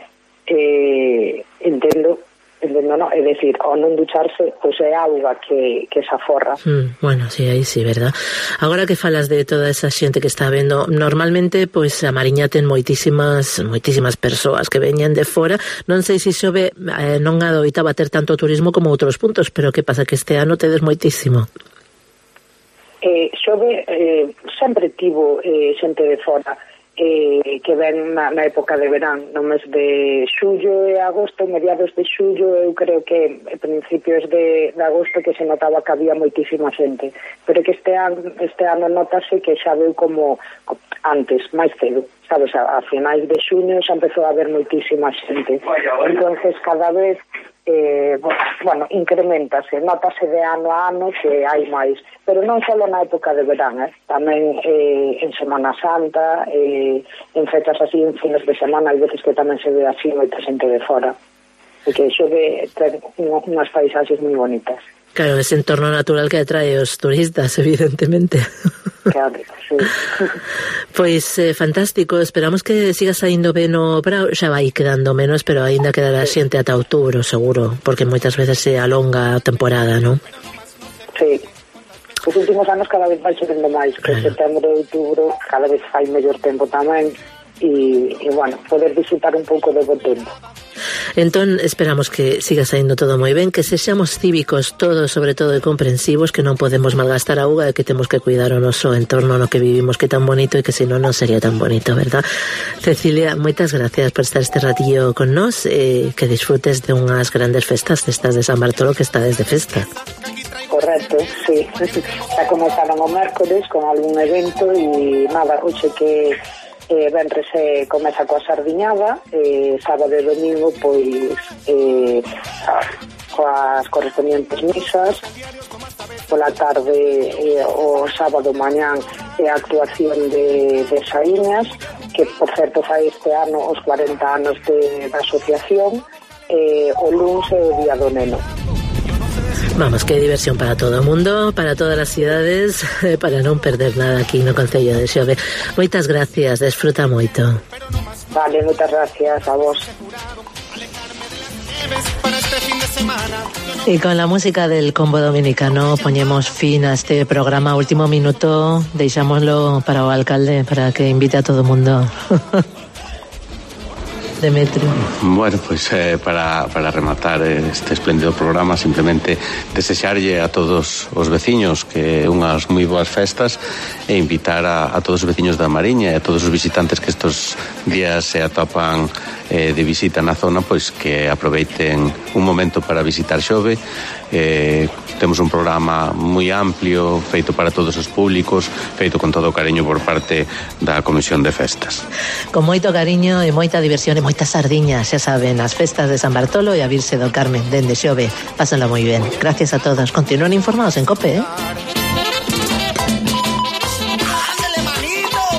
eh, entendo entendo, no? É dicir, ao non ducharse, pois é auga que, que se aforra. Mm, bueno, sí, aí sí, verdad. Agora que falas de toda esa xente que está vendo, normalmente, pois, a Mariña ten moitísimas moitísimas persoas que veñen de fora. Non sei se xove eh, non adoitaba ter tanto turismo como outros puntos, pero que pasa que este ano tedes moitísimo. Eh, xove eh, sempre tivo eh, xente de fora eh, que ven na, na época de verán, no mes de xullo e agosto, mediados de xullo, eu creo que a principios de, de agosto que se notaba que había moitísima xente, pero que este ano, este ano notase que xa veu como antes, máis cedo, sabes, a, a finais de xuño xa empezou a haber moitísima xente, entonces cada vez Eh, bueno, incrementase, notase de ano a ano que hai máis, pero non só na época de verán, eh? tamén eh, en Semana Santa, eh, en fechas así, en fines de semana, hai veces que tamén se ve así moita xente de fora, e que xo ve ter unhas paisaxes moi bonitas. Claro, ese entorno natural que atrae os turistas, evidentemente. Claro, sí. Pois, eh, fantástico, esperamos que siga saindo ben o Brao, xa vai quedando menos, pero aínda quedará sí. xente ata outubro, seguro, porque moitas veces se alonga a temporada, non? Sí. Os últimos anos cada vez vai xerendo máis, que claro. Setembro e outubro cada vez fai mellor tempo tamén, e, e bueno, poder disfrutar un pouco do bo tempo. Entón, esperamos que siga saindo todo moi ben, que sexamos cívicos todos, sobre todo, e comprensivos, que non podemos malgastar a auga e que temos que cuidar o noso entorno no que vivimos, que é tan bonito e que senón non sería tan bonito, verdad? Cecilia, moitas gracias por estar este ratillo con nós e que disfrutes de unhas grandes festas, festas de San Bartolo, que está desde festa. Correcto, sí. Xa comenzaron o mércoles con algún evento e nada, hoxe que Eh, venres eh, comeza coa sardiñada, eh, sábado e domingo pois eh, coas correspondientes misas, pola tarde eh, o sábado mañán é a actuación de, de Saíñas, que por certo fai este ano os cuarenta anos de, da asociación, eh, o luns é o día do neno. Vamos, que diversión para todo o mundo, para todas as cidades, para non perder nada aquí no Concello de Xove. Moitas gracias, desfruta moito. Vale, moitas gracias a vos. Y con la música del combo dominicano poñemos fin a este programa. Último minuto, deixámoslo para o alcalde, para que invite a todo o mundo. Demetrio. Bueno, pues eh, para, para rematar este espléndido programa, simplemente desexarlle a todos os veciños que unhas moi boas festas e invitar a, a todos os veciños da Mariña e a todos os visitantes que estos días se atopan eh, de visita na zona, pois que aproveiten un momento para visitar Xove. Eh, temos un programa moi amplio, feito para todos os públicos, feito con todo o cariño por parte da Comisión de Festas. Con moito cariño e moita diversión e moitas sardiñas, xa saben, as festas de San Bartolo e a Virxe do Carmen dende Xove. Pásenlo moi ben. Gracias a todos. Continúen informados en COPE, eh?